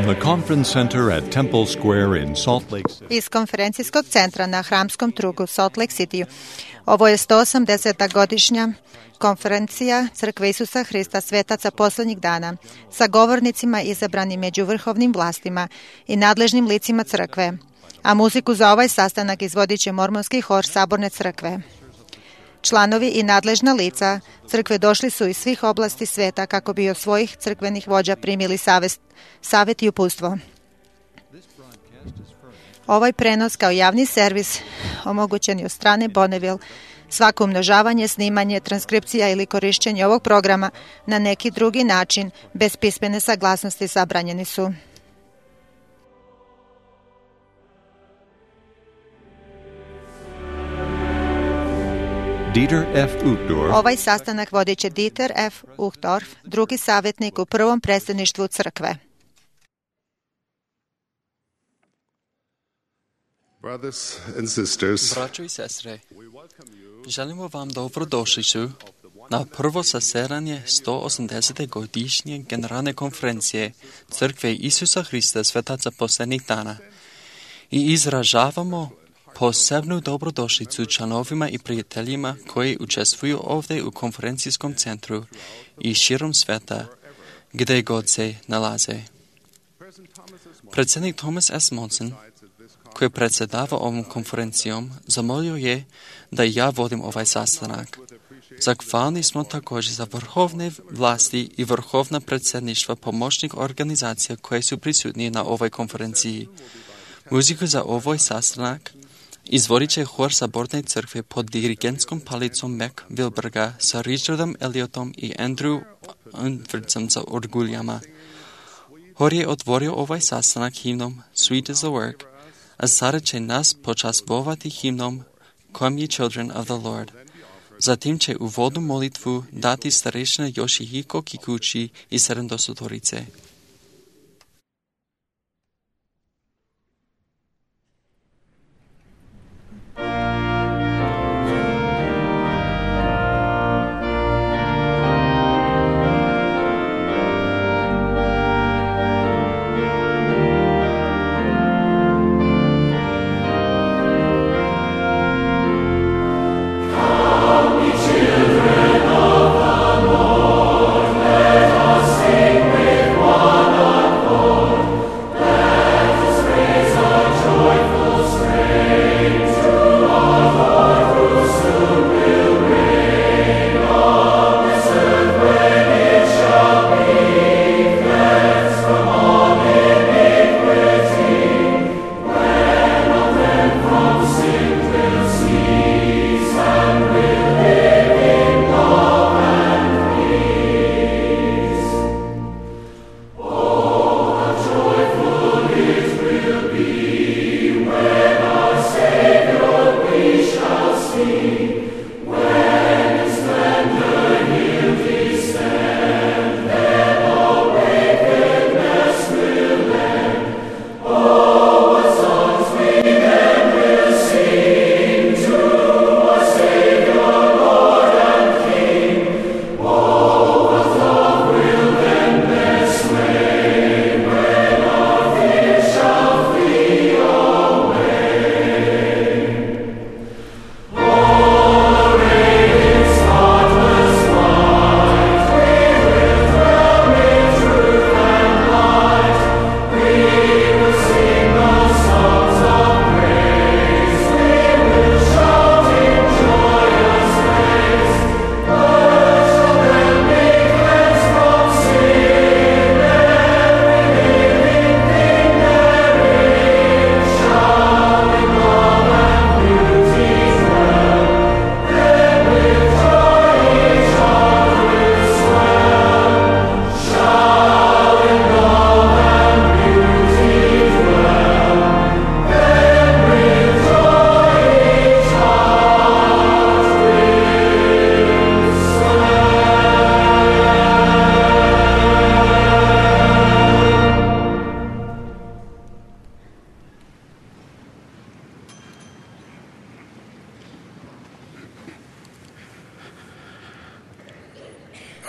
the conference center at Temple Square in Salt Lake City. Iz konferencijskog centra na Hramskom trgu Salt Lake City. Ovo je 180. godišnja konferencija Crkve Isusa Hrista svetaca posljednjih dana sa govornicima izabranim među vrhovnim vlastima i nadležnim licima crkve, a muziku za ovaj sastanak izvodit će mormonski hor Saborne crkve. Članovi i nadležna lica crkve došli su iz svih oblasti sveta kako bi od svojih crkvenih vođa primili savjet i uputstvo. Ovaj prenos kao javni servis omogućen je od strane Bonneville. Svako umnožavanje, snimanje, transkripcija ili korišćenje ovog programa na neki drugi način bez pismene saglasnosti zabranjeni su. Dieter F. Uchtdorf. Ovaj sastanak vodit će Dieter F. Uchtdorf, drugi savjetnik u prvom predsjedništvu crkve. Brothers and sisters, Braćo i sestre, želimo vam dobrodošlicu na prvo zasedanje 180. godišnje generalne konferencije Crkve Isusa Hrista svetaca posljednjih dana i izražavamo posebnu dobrodošlicu članovima i prijateljima koji učestvuju ovdje u konferencijskom centru i širom sveta gdje god se nalaze. Predsjednik Thomas S. Monson, koji predsjedava ovom konferencijom, zamolio je da ja vodim ovaj sastanak. Zahvalni smo također za vrhovne vlasti i vrhovna predsjedništva pomoćnih organizacija koje su prisutni na ovoj konferenciji. Muziku za ovaj sastanak izvodit će hor Saborne crkve pod dirigentskom palicom Mac Wilberga sa Richardom Elliotom i Andrew Unfordsom za orguljama. Hor je otvorio ovaj sastanak himnom Sweet is the Work, a sada će nas počastvovati himnom Come ye children of the Lord. Zatim će uvodnu molitvu dati starešina Yoshihiko Kikuchi iz Sedamdosotorice.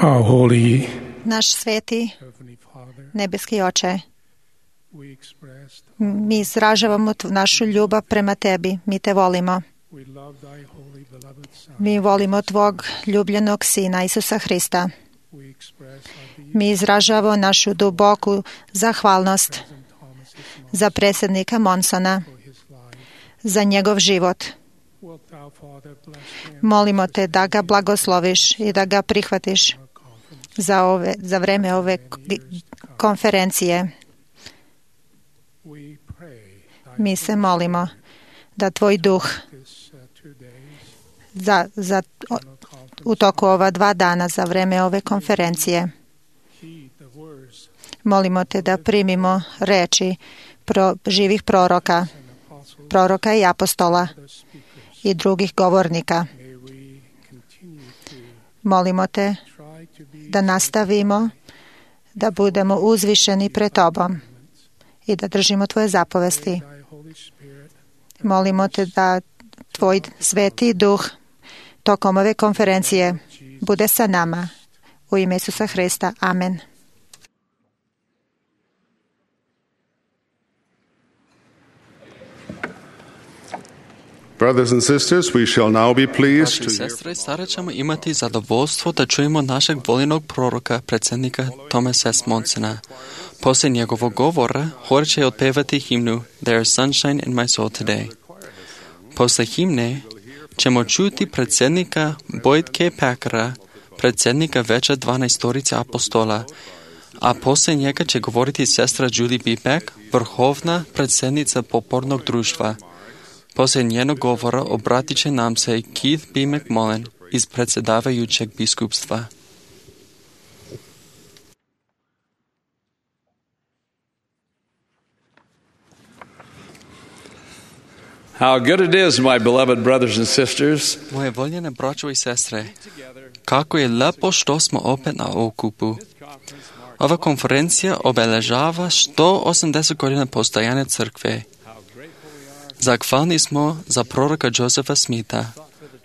Our holy Naš sveti Heavenly Father, nebeski Oče, Mi izražavamo našu ljubav prema tebi. Mi te volimo. Mi volimo tvog ljubljenog Sina, Isusa Hrista. Mi izražavamo našu duboku zahvalnost za predsjednika Monsona, za njegov život. Molimo te da ga blagosloviš i da ga prihvatiš za vreme ove konferencije. Mi se molimo da tvoj duh u toku ova 2 dana za vreme ove konferencije. Molimo te da primimo reči živih proroka i apostola i drugih govornika. Molimo te da nastavimo da budemo uzvišeni pred tobom i da držimo tvoje zapovesti. Molimo te da tvoj sveti duh tokom ove konferencije bude sa nama. U ime Isusa Hrista. Amen. Brothers and sisters, we shall now be pleased to hear Sestre, sada ćemo imati zadovoljstvo da čujemo našeg voljenog proroka, predsjednika Thomasa S. Monsona. Poslije njegovog govora, hor će otpevati himnu There is sunshine in my soul today. Poslije himne ćemo čuti predsjednika Boyd K. Packera, predsjednika Veća 12 apostola, a poslije njega će govoriti sestra Judy B. Beck, vrhovna predsjednica popornog društva. Poslije njenog govora obratit će nam se Keith B. McMullen iz predsjedavajućeg biskupstva. How good it is, my beloved brothers and sisters, Moje voljene braćo i sestre, kako je lepo što smo opet na okupu. Ova konferencija obeležava 180 godina postojanja crkve. Zahvalni smo za proroka Josefa Smitha,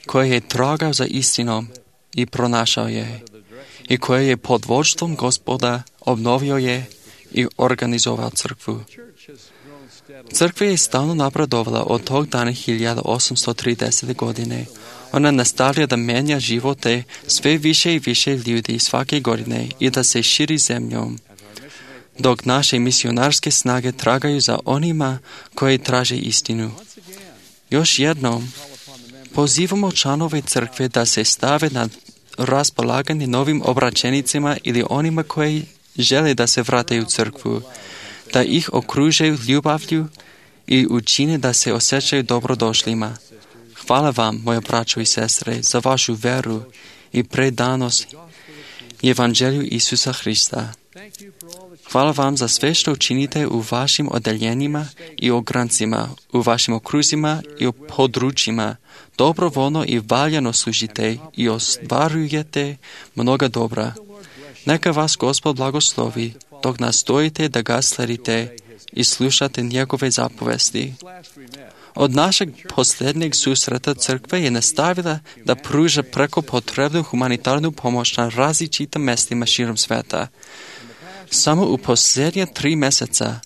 koji je tragao za istinom i pronašao je, i koji je pod vodstvom Gospoda obnovio je i organizovao crkvu. Crkva je stalno napredovala od tog dana 1830. godine. Ona nastavlja da menja živote sve više i više ljudi svake godine i da se širi zemljom, dok naše misionarske snage tragaju za onima koji traže istinu. Još jednom, pozivamo članove crkve da se stave na raspolaganje novim obraćenicima ili onima koji žele da se vrate u crkvu, da ih okružaju ljubavlju i učine da se osjećaju dobrodošlima. Hvala vam, moje braćo i sestre, za vašu veru i predanost Evanđelju Isusa Hrista. Hvala vam za sve što činite u vašim odeljenjima i ograncima, u vašim okruzima i u područjima. Dobrovoljno i valjano služite i ostvarujete mnoga dobra. Neka vas Gospod blagoslovi dok nastojite da ga sledite i slušate njegove zapovesti. Od našeg posljednjeg susreta crkva je nastavila da pruža preko potrebnu humanitarnu pomoć na različitim mjestima širom sveta. Samo u posljednje 3 mjeseca,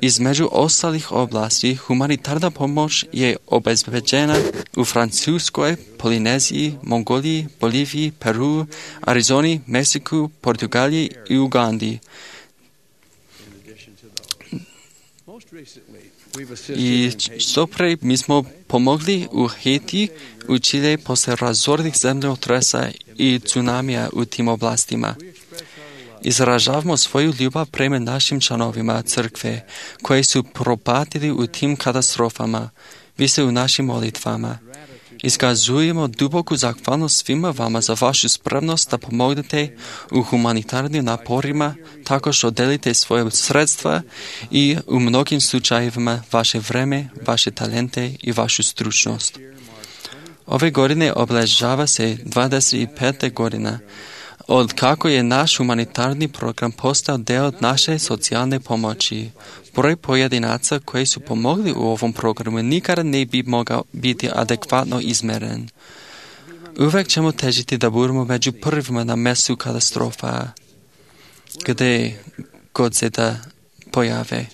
između ostalih oblasti, humanitarna pomoć je obezbeđena u Francuskoj, Polineziji, Mongoliji, Boliviji, Peru, Arizoni, Meksiku, Portugaliji i Ugandi. I što pre mi smo pomogli u Haiti, u Čile posle razornih zemljotresa i tsunamija u tim oblastima. Izražavamo svoju ljubav prema našim članovima crkve koji su propatili u tim katastrofama. Vi ste u našim molitvama. Iskazujemo duboku zahvalnost svima vama za vašu spremnost da pomognete u humanitarnim naporima tako što delite svoje sredstva i u mnogim slučajevima vaše vreme, vaše talente i vašu stručnost. Ove godine obilježava se 25. godina od kako je naš humanitarni program postao deo naše socijalne pomoći. Broj pojedinaca koji su pomogli u ovom programu nikada ne bi mogao biti adekvatno izmeren. Uvijek ćemo težiti da budemo među prvima na mjestu katastrofa, gdje god se da pojave.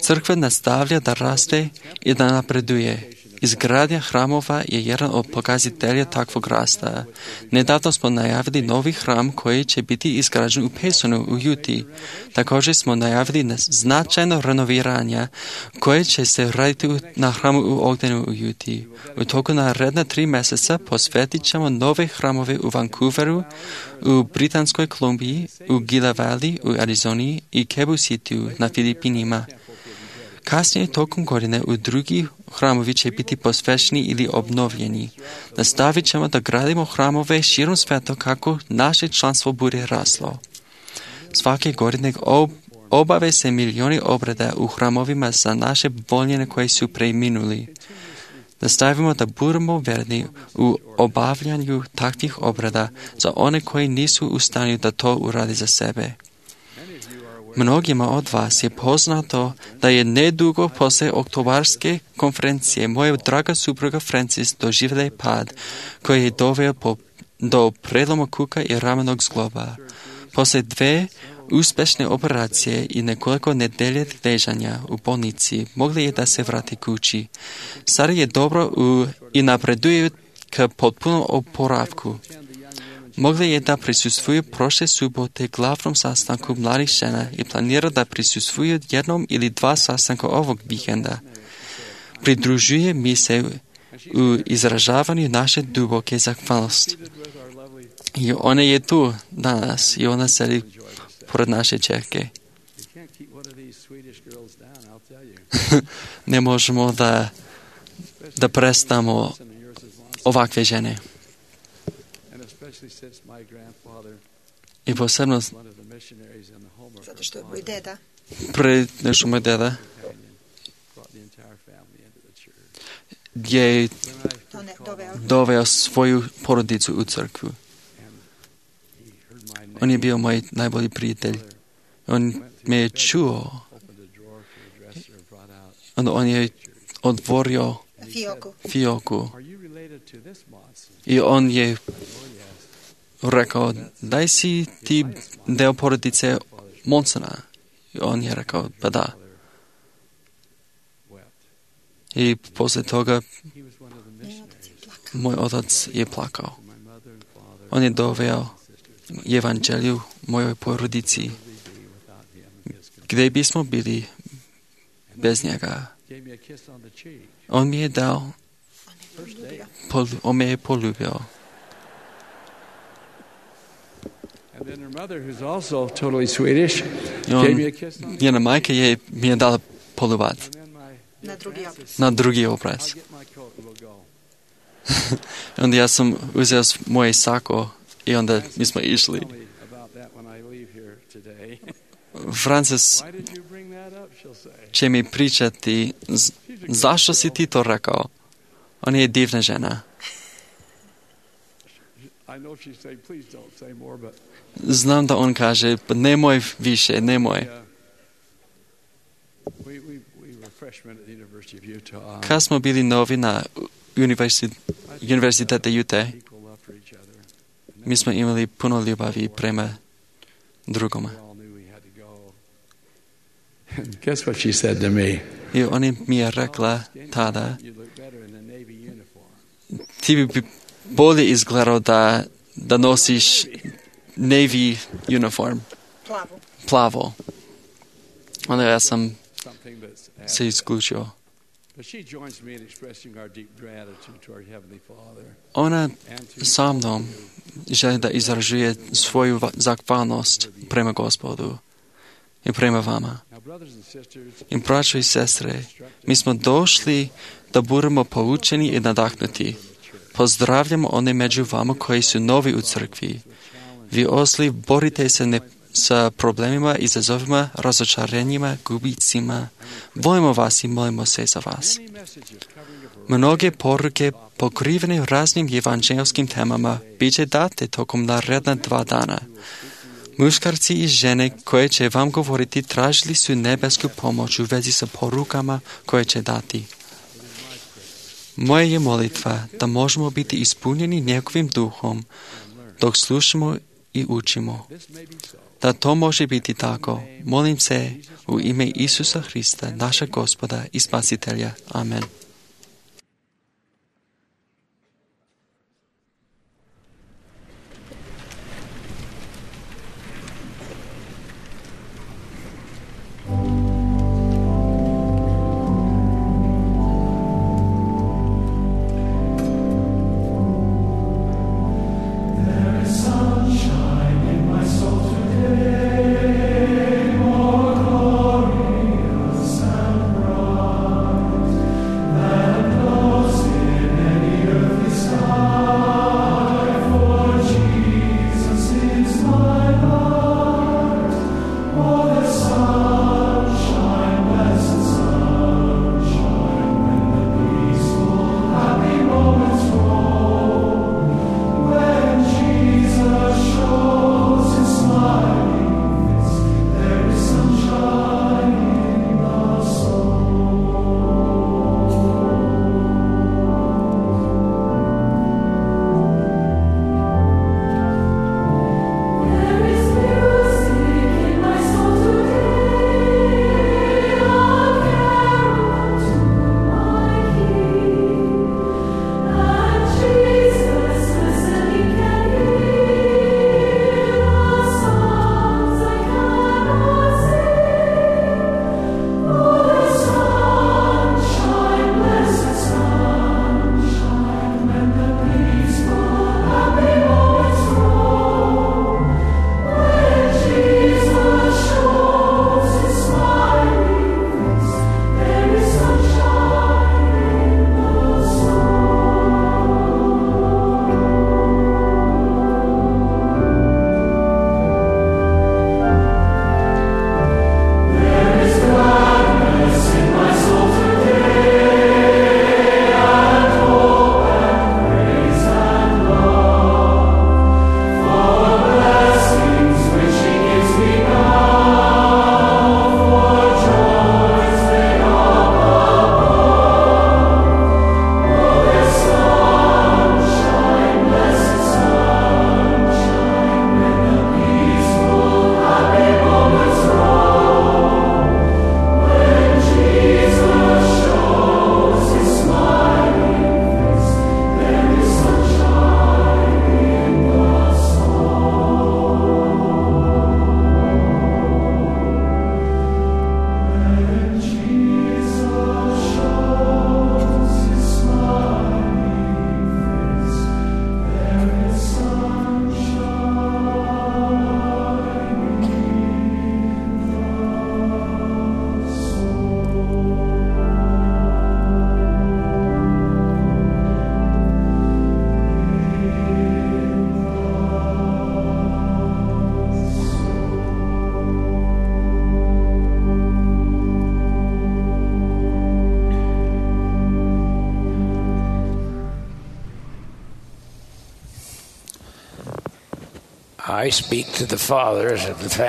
Crkva nastavlja da raste i da napreduje. Izgradnja hramova je jedan od pokazatelja takvog rasta. Nedavno smo najavili novi hram koji će biti izgrađen u Pesonu u Juti. Također smo najavili značajno renoviranje koje će se raditi na hramu u Ogdenu u Juti. U toku naredna 3 mjeseca posvetit ćemo nove hramove u Vancouveru, u Britanskoj Kolumbiji, u Gila Valley u Arizoni i Cebu Cityu na Filipinima. Kasnije tokom godine u drugi hramovi će biti posvećeni ili obnovljeni. Nastavit ćemo da gradimo hramove širom sveta kako naše članstvo bude raslo. Svake godine obave se milijoni obreda u hramovima za naše voljene koji su preminuli. Nastavimo da budemo verni u obavljanju takvih obreda za one koji nisu u stanju da to uradi za sebe. Mnogima od vas je poznato da je nedugo poslije oktobarske konferencije moja draga supruga Francis doživjela pad koji je doveo do preloma kuka i ramenog zgloba. Poslije 2 uspješne operacije i nekoliko nedelje ležanja u bolnici mogli je da se vrati kući. Sada je dobro i napreduje k potpunom oporavku. Mogli je da prisustvuju prošle subote glavnom sastanku mladih žena i planira da prisustvuju 1 ili 2 sastanka ovog vikenda. Pridružuje mi se u izražavanju naše duboke zahvalnosti. I ona je tu danas i ona sedi pored naše čerke. Ne možemo da prestamo ovakve žene. I posebno zato što je moj deda. Nešto moj deda je doveo svoju porodicu u crkvu. On je bio moj najbolji prijatelj. On me je čuo. On je otvorio fioku. I on je rekao, daj si ti deo porodice Monsona. I on je rekao, pa da. I poslije toga moj otac je plakao. On je doveo evanđelju mojoj porodici. Gdje bismo bili bez njega? On mi je dao, on me je poljubio. Njena majka mi je dala poljubat. Na drugi obraz. Onda ja sam uzeo moje sako i onda mi smo išli. Francis će mi pričati zašto si ti to rekao. Ona je divna žena. Znam da on kaže, nemoj više, nemoj. Kad smo bili novi na univerzitetu Utah, mi smo imali puno ljubavi prema drugome. Guess what she said to me? I ona mi je rekla tada, ti bi bolje izgledao da nosiš Navy uniform. Plavo. Onda ja sam se isključio. Ona sa mnom želi da izražuje svoju zahvalnost prema Gospodu i prema vama. I braćo i sestre, mi smo došli da budemo poučeni i nadahnuti. Pozdravljamo one među vama koji su novi u crkvi. Vi osli borite se sa problemima, izazovima, razočarenjima, gubicima. Volimo vas i molimo se za vas. Mnoge poruke pokrivene raznim evanđelskim temama bit će date tokom naredna 2 dana. Muškarci i žene koje će vam govoriti tražili su nebesku pomoć u vezi sa porukama koje će dati. Moja je molitva da možemo biti ispunjeni njegovim duhom dok slušamo i učimo. Da to može biti tako, molim se u ime Isusa Hrista, našeg Gospoda i Spasitelja. Amen.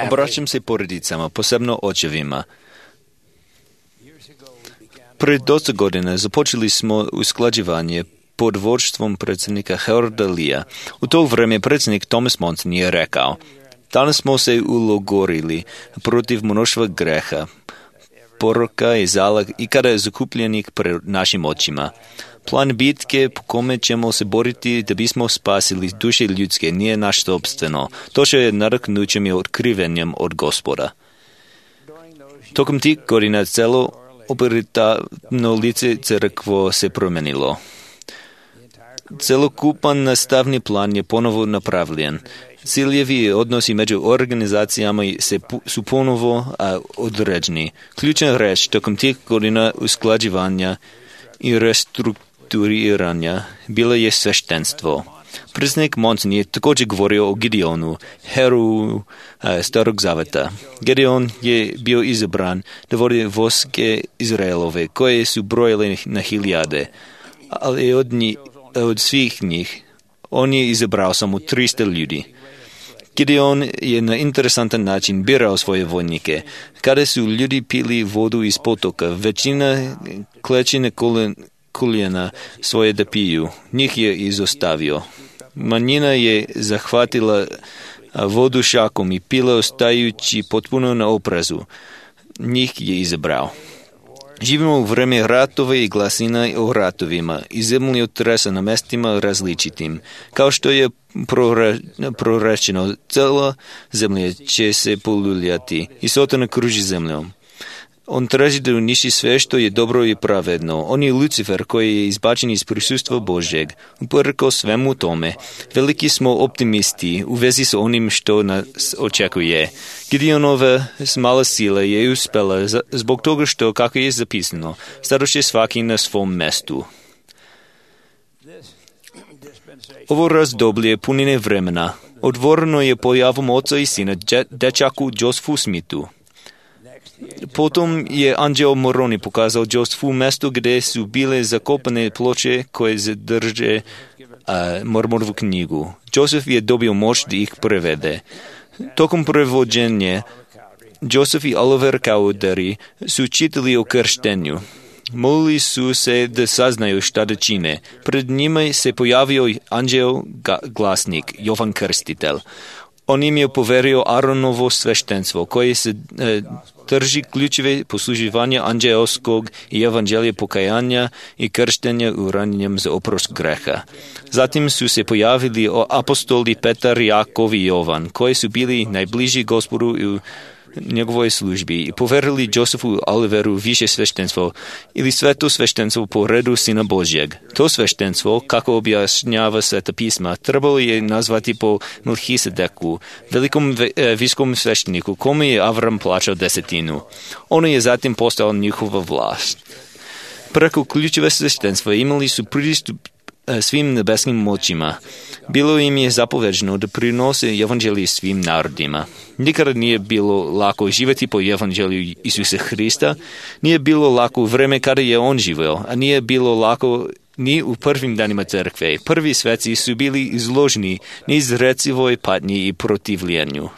Obraćam se porodicama, posebno očevima. Pred dosta godina započeli smo usklađivanje pod vodstvom predsjednika Heroda Lea. U to vrijeme predsjednik Thomas Monson je rekao: danas smo se ulogorili protiv mnoštva greha, poroka i zalag i kada je zakupljenih pred našim očima. Plan bitke po kome ćemo se boriti da bismo spasili duše ljudske nije naš sobstveno. To što je naraknućem i otkrivenjem od Gospoda. Tokom tih godina celo operativno lice crkvo se promenilo. Celokupan nastavni plan je ponovo napravljen. Ciljevi i odnosi među organizacijama su ponovo određeni. Ključna reč tokom tih godina usklađivanja i restrukturiranja bilo je sveštenstvo. Predsjednik Monson je također govorio o Gideonu, heroju Starog zaveta. Gideon je bio izabran da vodi vojske Izraelove, koje su brojile na hiljade, ali od svih njih on je izabrao samo 300 ljudi. Gideon je na interesantan način birao svoje vojnike. Kada su ljudi pili vodu iz potoka, većina kleči na koljena svoje da piju. Njih je izostavio. Manjina je zahvatila vodu šakom i pila ostajući potpuno na oprezu. Njih je izabrao. Živimo u vreme ratova i glasina o ratovima i zemljotresa na mestima različitim. Kao što je prorečeno, cela zemlja će se poluljati i Sotona kruži zemljom. On traži da uniši sve što je dobro i pravedno. On je Lucifer koji je izbačen iz prisustva Božjeg. Uprkos svemu tome, veliki smo optimisti u vezi s onim što nas očekuje. Gideonova mala sila je uspela zbog toga što, kako je zapisano, stadoše svaki na svom mestu. Ovo razdoblje punine vremena otvoreno je pojavom oca i sina dečaku Josephu Smithu. Potom je anđeo Moroni pokazao Josephu mesto gdje su bile zakopane ploče koje zadrže Mormonovu knjigu. Joseph je dobio moć da ih prevede. Tokom prevođenja, Joseph i Oliver Cowdery su čitali o krštenju. Molili su se da saznaju šta da čine. Pred njima se pojavio anđeo glasnik, Jovan Krstitelj. On im je poverio Aronovo sveštenstvo, koje se drži ključeve posluživanja anđelskog i evanđelja pokajanja i krštenja uranjenjem za oprost greha. Zatim su se pojavili apostoli Petar, Jakov i Jovan, koji su bili najbliži Gospodu u njegovoj službi i poverili Josephu Oliveru više sveštenstvo ili sveto sveštenstvo po redu Sina Božjeg. To sveštenstvo, kako objašnjava Sveta pisma, trebalo je nazvati po Melchisedeku, velikom viskom svešteniku, kome je Avram plaćao desetinu. Ono je zatim postao njihova vlast. Preko ključeve sveštenstva imali su pristup svim nebeskim moćima. Bilo im je zapoveđeno da prinose evanđelje svim narodima. Nikada nije bilo lako živjeti po evanđelju Isusa Hrista, nije bilo lako u vreme kada je on živio, a nije bilo lako ni u prvim danima crkve. Prvi sveci su bili izloženi neizrecivoj patnji i protivljenju.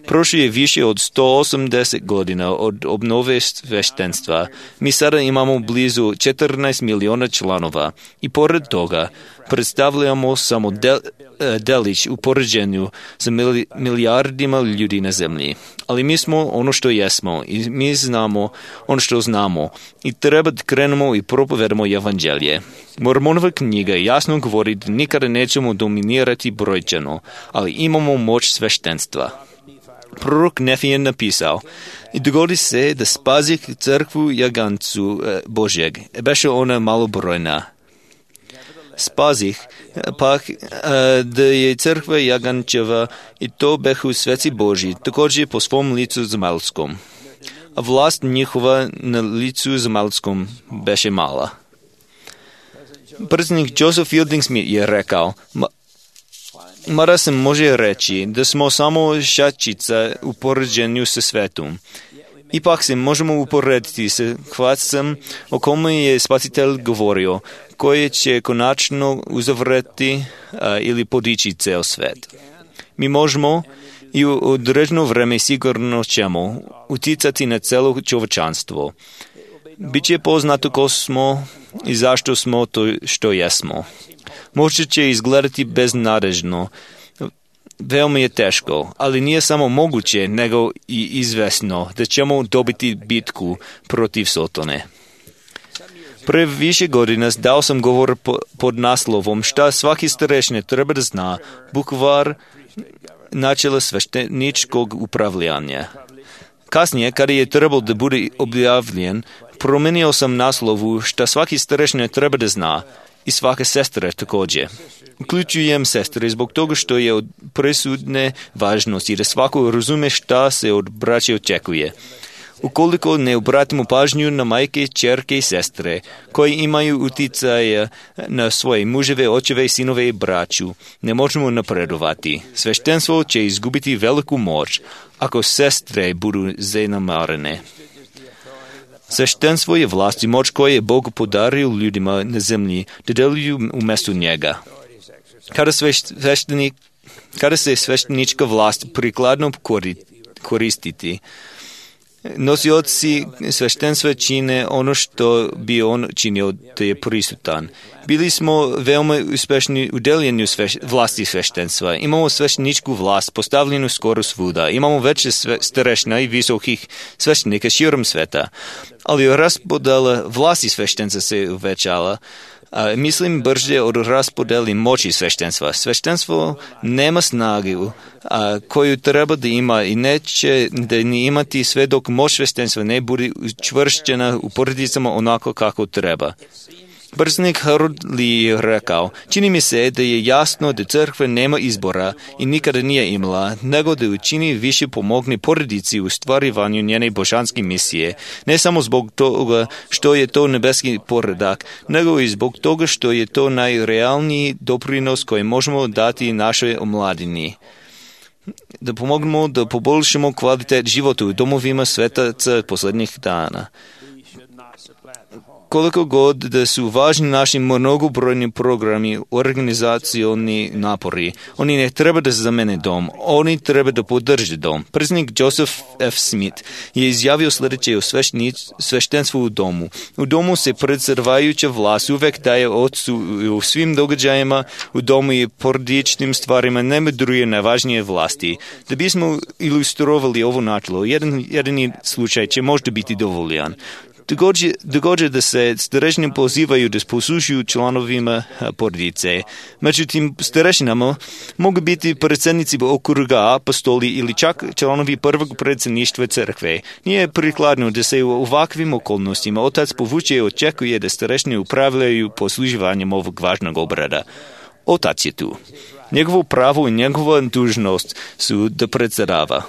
Prošlo je više od 180 godina od obnove sveštenstva. Mi sada imamo blizu 14 miliona članova i pored toga predstavljamo samo delić u poređenju sa milijardima ljudi na zemlji. Ali mi smo ono što jesmo i mi znamo ono što znamo i treba da krenemo i propovedamo evanđelje. Mormonova knjiga jasno govori da nikada nećemo dominirati brojčano, ali imamo moć sveštenstva. Prorok Nefije napisao, i dogodi se da spazih crkvu jagancu Božjeg, beše ona malobrojna. Spazih, pak da je crkva jagančeva i to behu sveci Božji, također po svom licu zemaljskom. A vlast njihova na licu zemaljskom beše mala. Predsjednik Joseph Fielding Smith je rekao, mada se može reći da smo samo šačica u poređenju sa svetom. Ipak se možemo uporediti sa hvacem o kome je Spasitelj govorio, koje će konačno uzavreti ili podići ceo svet. Mi možemo i u određeno vreme sigurno ćemo uticati na celo čovečanstvo. Biće poznato ko smo i zašto smo to što jesmo. Možda će izgledati beznadežno, veoma je teško, ali nije samo moguće, nego i izvesno da ćemo dobiti bitku protiv Sotone. Pre više godina dao sam govor pod naslovom šta svaki starešina treba da zna, bukvar načela svešteničkog upravljanja. Kasnije, kada je trebalo da bude objavljen, promenio sam naslovu šta svaki starešina treba da zna i svaka sestra također. Uključujem sestre zbog toga što je od presudne važnosti da svako razume šta se od braće očekuje. Ukoliko ne obratimo pažnju na majke, ćerke i sestre, koji imaju uticaja na svoje muževe, očeve, sinove i braću, ne možemo napredovati. Sveštenstvo će izgubiti veliku moć ako sestre budu zanemarene. Sveštenstvo je vlast i moć koje je Bog podario ljudima na zemlji da deluju umjesto njega. Kada se sveštenička vlast prikladno koristiti, Nosioci sveštenstva čine ono što bi on činio da je prisutan. Bili smo veoma uspešni u deljenju vlasti sveštenstva. Imamo svešteničku vlast postavljenu skoro svuda. Imamo veće starešina i visokih sveštenika širom sveta. Ali raspodela vlasti sveštenstva se uvećala. Mislim brže od raspodeli moći sveštenstva. Sveštenstvo nema snagu koju treba da ima i neće da ni imati sve dok moć sveštenstva ne bude učvršćena u porodicama onako kako treba. Predsednik Harold Lee je rekao, čini mi se da je jasno da crkva nema izbora i nikada nije imala, nego da učini više pomogne porodici u stvarivanju njene božanske misije, ne samo zbog toga što je to nebeski poredak, nego i zbog toga što je to najrealniji doprinos koji možemo dati našoj omladini. Da pomognemo da poboljšamo kvalitet života u domovima svetaca posljednjih dana. Koliko god da su važni naši mnogobrojni programi, organizacioni napori, oni ne treba da zamene dom, oni treba da podrže dom. Predsjednik Joseph F. Smith je izjavio sljedeće o sveštenstvu u domu. U domu se predsjedavajuća vlast uvek daje ocu u svim događajima, u domu i porodičnim stvarima ne medruje najvažnije vlasti. Da bismo ilustrovali ovo načelo, jedan slučaj će možda biti dovoljan. Događa da se starešine pozivaju da poslušaju članovima porodice. Međutim, starešinama mogu biti predsjednici okruga, apostoli ili čak članovi prvog predsjedništva crkve. Nije prikladno da se u ovakvim okolnostima otac povuče i očekuje da starešine upravljaju posluživanjem ovog važnog obrada. Otac je tu. Njegovo pravo i njegova dužnost su da predsjedava.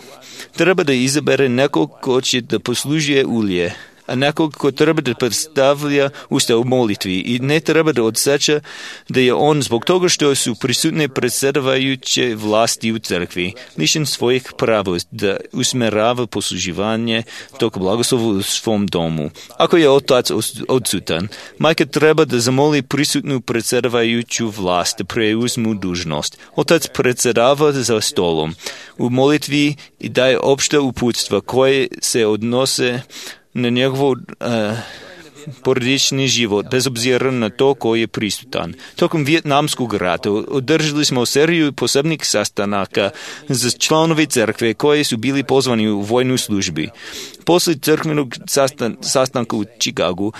Treba da izabere nekog ko će da poslužuje ulje, a nekog ko treba da predstavlja usta u molitvi i ne treba da odseća da je on zbog toga što su prisutne predsjedavajuće vlasti u crkvi, lišen svojih prava da usmerava posluživanje tog blagoslova u svom domu. Ako je otac odsutan, majka treba da zamoli prisutnu predsjedavajuću vlast da preuzmu dužnost. Otac predsjedava za stolom u molitvi i daje opšta uputstva koje se odnose na njegov porodični život, bez obzira na to ko je prisutan. Tokom Vijetnamskog rata održali smo seriju posebnih sastanaka za članovi crkve koji su bili pozvani u vojnu službi. Posle crkvenog sastanka u Chicagu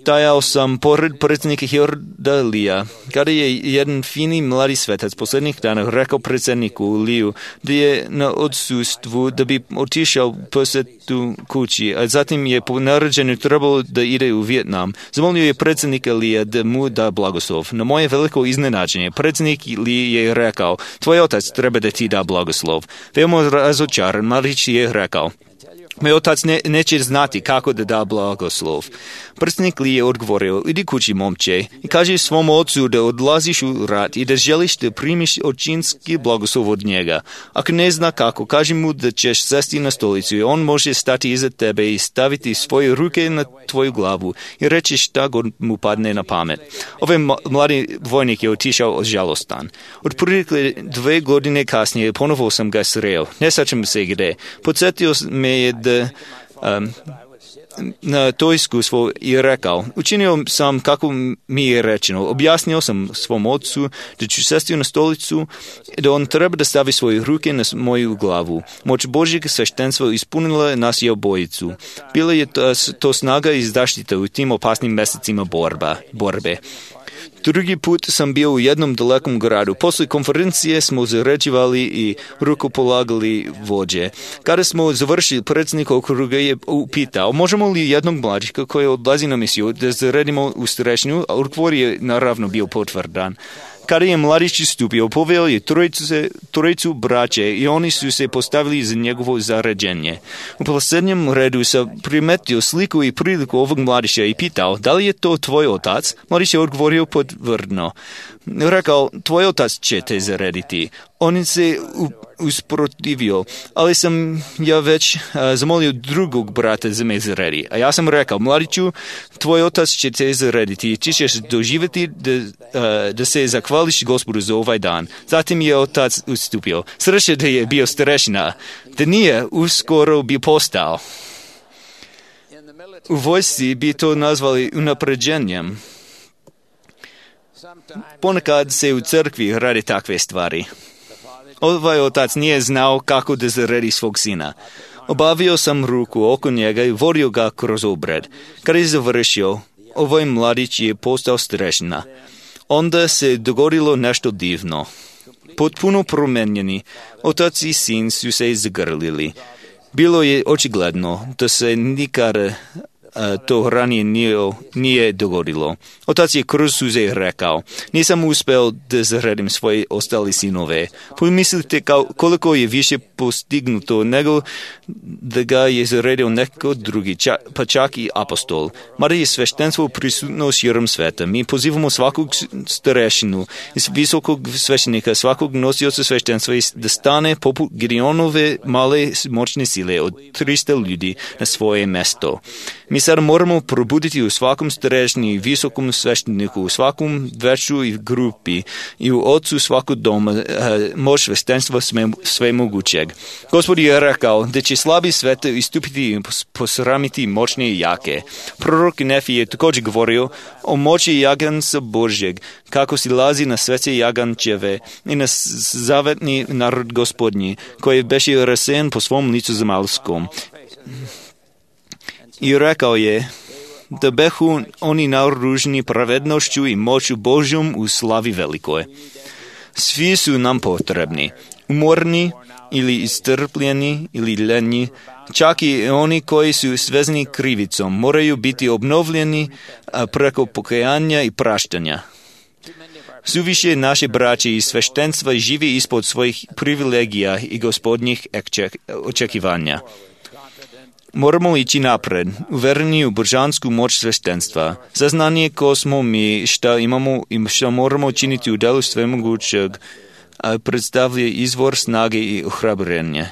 stajao sam pored predsjednika Harold Leea, kada je jedan fini mladi svetac posljednjih dana rekao predsjedniku Leeu da je na odsustvu da bi otišao posjetu kući, a zatim je po naređenju trebalo da ide u Vijetnam. Zamolio je predsjednika Leea da mu da blagoslov. Na moje veliko iznenađenje, predsjednik Lee je rekao, tvoj otac treba da ti da blagoslov. Veoma razočaran, mladić je rekao, moj otac neće znati kako da da blagoslov. Predsjednik Lee je odgovorio, idi kući momče i kaži svom ocu da odlaziš u rat i da želiš da primiš očinski blagoslov od njega. Ako ne zna kako, kaži mu da ćeš sesti na stolicu i on može stati iza tebe i staviti svoje ruke na tvoju glavu i reći šta god mu padne na pamet. Ovaj mladi vojnik je otišao žalostan. Otprilike 2 godine kasnije ponovo sam ga sreo. Ne sjećam se gde. Podsjetio me je da na to iskustvo i rekao, učinio sam kako mi je rečeno, objasnio sam svom ocu da ću sesti na stolicu i da on treba da stavi svoje ruke na moju glavu. Moć Božjeg sveštenstva ispunila nas i obojicu. Bila je to snaga i zaštita u tim opasnim mesecima borbe. Drugi put sam bio u jednom dalekom gradu. Posle konferencije smo zaređivali i rukopolagali vođe. Kada smo završili, predsjednik okruga je upitao, možemo li jednog mlađika koji odlazi na misiju da zaredimo u starešinu, a odgovor je naravno bio potvrdan. Kada je mladić istupio, poveo je trojicu braće i oni su se postavili za njegovo zaređenje. U posljednjem redu sam primetio sliku i priliku ovog mladića i pitao, da li je to tvoj otac? Mladić je odgovorio potvrdno. Rekao, tvoj otac će te zarediti. On se usprotivio, ali sam ja već zamolio drugog brata za me zaredi. A ja sam rekao, mladiću, tvoj otac će te zarediti, ti ćeš doživjeti da se zahvališ Gospodu za ovaj dan. Zatim je otac ustupio. Sreće da je bio starešina, da nije uskoro bi postao. U vojsci bi to nazvali unapređenjem. Ponekad se u crkvi radi takve stvari. Ovaj otac nije znao kako da zaredi svog sina. Obavio sam ruku oko njega i vodio ga kroz obred. Kad je završio, ovaj mladić je postao starešina. Onda se dogodilo nešto divno. Potpuno promenjeni, otac i sin su se zagrlili. Bilo je očigledno da se nikad to ranije nije dogodilo. Otac je kroz suze rekao, nisam uspeo da zaredim svoje ostali sinove. Pomislite koliko je više postignuto nego da ga je zaredio neko drugi, pa čak i apostol. Mada je sveštenstvo prisutno širom sveta. Mi pozivamo svakog starešinu, visokog sveštenika, svakog nosioca sveštenstva da stane poput Gideonove male moćne sile od 300 ljudi na svoje mesto. Mi sad moramo probuditi u svakom starešini i visokom svešteniku, u svakom veću i grupi i u ocu svakog doma moć sveštenstva sve mogućeg. Gospod je rekao da će slabi sveta istupiti i posramiti moćne i jake. Prorok Nefi je također govorio o moći jaganca Božjeg, kako silazi na svece jagančeve i na zavetni narod Gospodnji, koji beše rasejan po svom licu zemaljskom. I rekao je da behu oni naoruženi pravednošću i moću Božjom u slavi velikoj. Svi su nam potrebni, umorni ili istrpljeni ili ljenji, čak i oni koji su svezani krivicom moraju biti obnovljeni preko pokajanja i praštanja. Suviše naše braće i sveštenstva živi ispod svojih privilegija i gospodnjih očekivanja. Moramo ići napred, uvereni u božansku moć sveštenstva, saznanje ko smo mi, šta imamo i šta moramo činiti u delu svemogućeg, predstavlja izvor snage i ohrabrenje.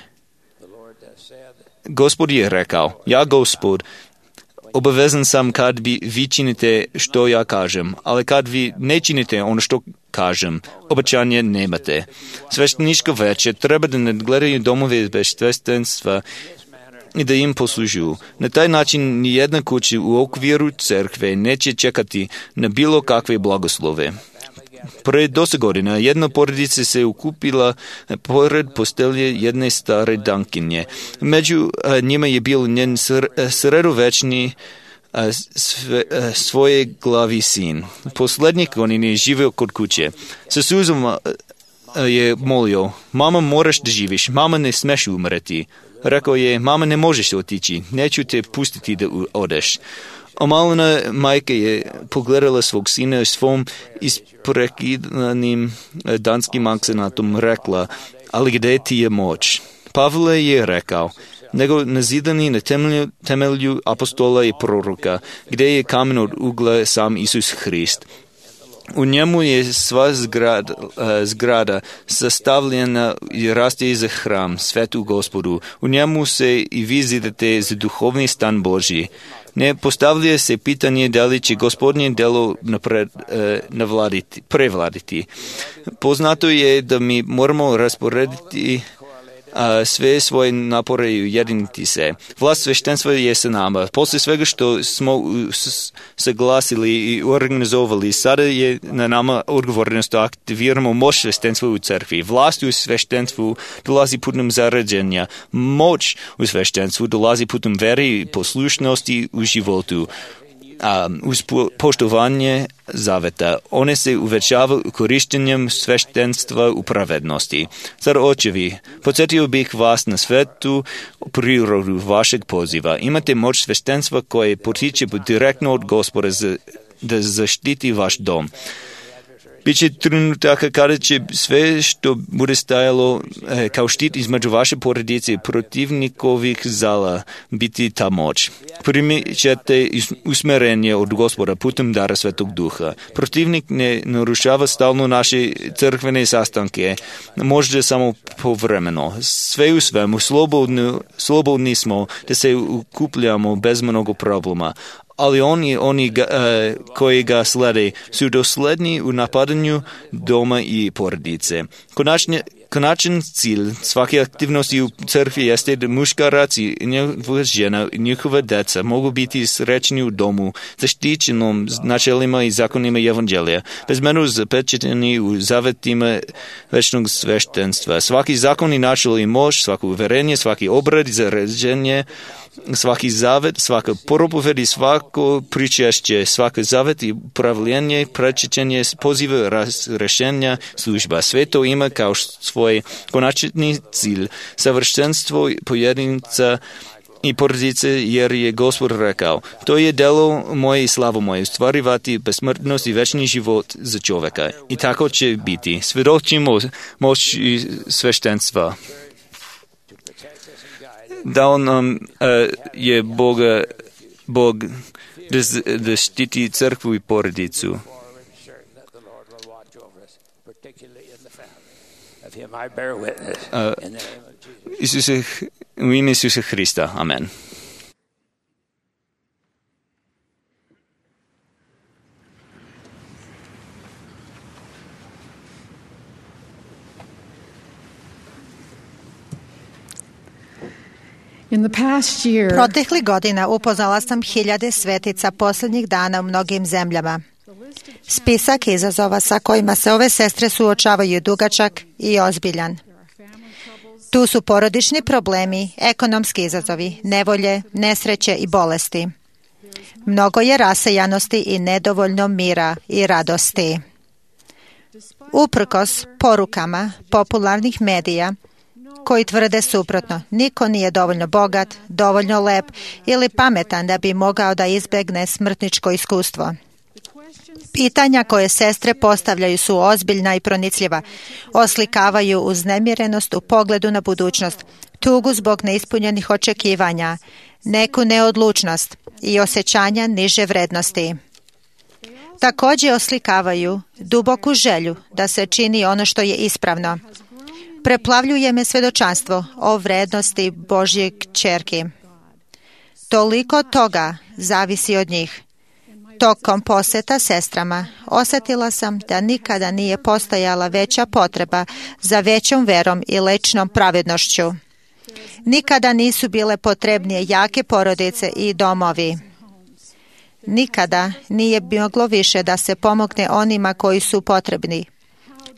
Gospod je rekao, ja Gospod, obavezan sam kad vi činite što ja kažem, ali kad vi ne činite ono što kažem, obećanje nemate. Svešteničko veće treba da nadgledaju domove sveštenstva i da im poslužuju. Na taj način nijedna kuća u okviru crkve neće čekati na bilo kakve blagoslove. Pred 10 godina jedna porodica se ukupila pored postelje jedne stare dankinje. Među njima je bio njen sredovečni svoje glavi sin. Posljednjih godina je živio kod kuće. Sa suzama je molio, mama moraš da živiš, mama ne smeš umreti. Rekao je, mama ne možeš otići, neću te pustiti da odeš. Omalena majka je pogledala svog sina svom isprekidanim danskim akcentom rekla, ali gdje ti je moć? Pavle je rekao, nego nazidani na temelju apostola i proroka, gdje je kamen od ugla sam Isus Hrist. U njemu je sva zgrada sastavljena i raste za hram, svetu Gospodu. U njemu se i vi zidate za duhovni stan Božji. Ne postavlja se pitanje da li će Gospodnje delo prevladiti. Poznato je da mi moramo rasporediti sve svoje napore i ujediniti se. Vlast sveštenstva je sa nama. Poslije svega što smo saglasili i organizovali, sada je na nama odgovornost da aktiviramo moć sveštenstva u crkvi. Vlast u sveštenstvu dolazi putem zarađenja. Moć u sveštenstvu dolazi putem vere i poslušnosti u životu. Uz poštovanje zaveta. One se uvećavaju korištenjem sveštenstva u pravednosti. Zar očevi, podsjetio bih vas na svetu prirodu vašeg poziva. Imate moć sveštenstva koje potiče direktno od Gospoda da zaštiti vaš dom. Biće trenutaka kada će sve što bude stajalo kao štit između vaše porodice i protivnikovih zala biti ta moć. Primit ćete usmerenje od Gospoda putem dara Svetog Duha. Protivnik ne narušava stalno naše crkvene sastanke, možda samo povremeno. Sve u svemu, slobodni smo da se ukupljamo bez mnogo problema. Ali oni koji ga slede su dosledni u napadanju doma i porodice. Konačan cilj svake aktivnosti u crkvi jeste da muškarac i njegova žena i njihova deca mogu biti srećni u domu, zaštićenom načelima i zakonima evanđelja, bezmeno zapečateni u zavetima večnog sveštenstva. Svaki zakon i načel i moć, svako uverenje, svaki obrad i zaređenje, svaki zavet, svaka propoved i svako pričešće, svaki zavet i upravljanje, prečećenje, pozive rešenja, služba. Sve to ima kao svoj konačni cilj, savršenstvo pojedinca i porodice, jer je Gospod rekao, to je delo moje i slavo moje, ostvarivati besmrtnost i večni život za čoveka. I tako će biti. Svjedočimo moći sveštenstva. Dao nam je Bog da štiti crkvu i porodicu. U ime Isusa Hrista. Amen. Proteklih godina upoznala sam hiljade svetica posljednjih dana u mnogim zemljama. Spisak izazova sa kojima se ove sestre suočavaju je dugačak i ozbiljan. Tu su porodični problemi, ekonomski izazovi, nevolje, nesreće i bolesti. Mnogo je rasejanosti i nedovoljno mira i radosti. Uprkos porukama popularnih medija koji tvrde suprotno, niko nije dovoljno bogat, dovoljno lep ili pametan da bi mogao da izbjegne smrtničko iskustvo. Pitanja koje sestre postavljaju su ozbiljna i pronicljiva. Oslikavaju uznemirenost u pogledu na budućnost, tugu zbog neispunjenih očekivanja, neku neodlučnost i osjećanja niže vrednosti. Također oslikavaju duboku želju da se čini ono što je ispravno. Preplavljuje me svjedočanstvo o vrednosti Božje kćerki. Toliko toga zavisi od njih. Tokom posjeta sestrama osjetila sam da nikada nije postojala veća potreba za većom verom i ličnom pravednošću. Nikada nisu bile potrebnije jake porodice i domovi. Nikada nije moglo više da se pomogne onima koji su potrebni.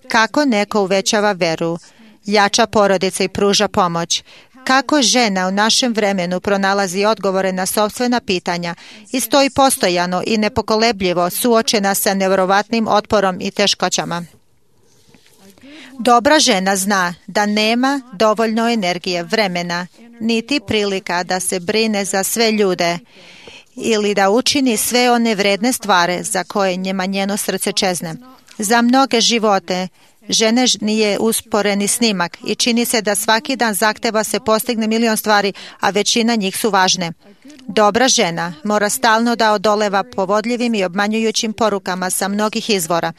Kako neko uvećava veru, jača porodice i pruža pomoć, kako žena u našem vremenu pronalazi odgovore na sopstvena pitanja i stoji postojano i nepokolebljivo suočena sa nevjerovatnim otporom i teškoćama. Dobra žena zna da nema dovoljno energije, vremena, niti prilika da se brine za sve ljude ili da učini sve one vredne stvari za koje njima njeno srce čezne. Za mnoge živote žene nije usporeni snimak i čini se da svaki dan zahteva se postigne milion stvari, a većina njih su važne. Dobra žena mora stalno da odoleva povodljivim i obmanjujućim porukama sa mnogih izvora,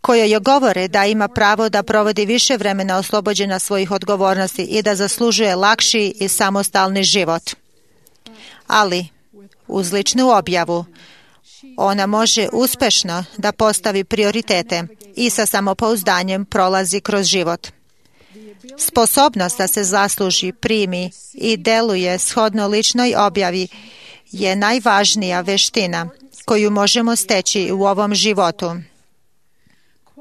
koje joj govore da ima pravo da provodi više vremena oslobođena svojih odgovornosti i da zaslužuje lakši i samostalni život. Ali, uz ličnu objavu, ona može uspešno da postavi prioritete i sa samopouzdanjem prolazi kroz život. Sposobnost da se zasluži, primi i deluje shodno ličnoj objavi je najvažnija veština koju možemo steći u ovom životu.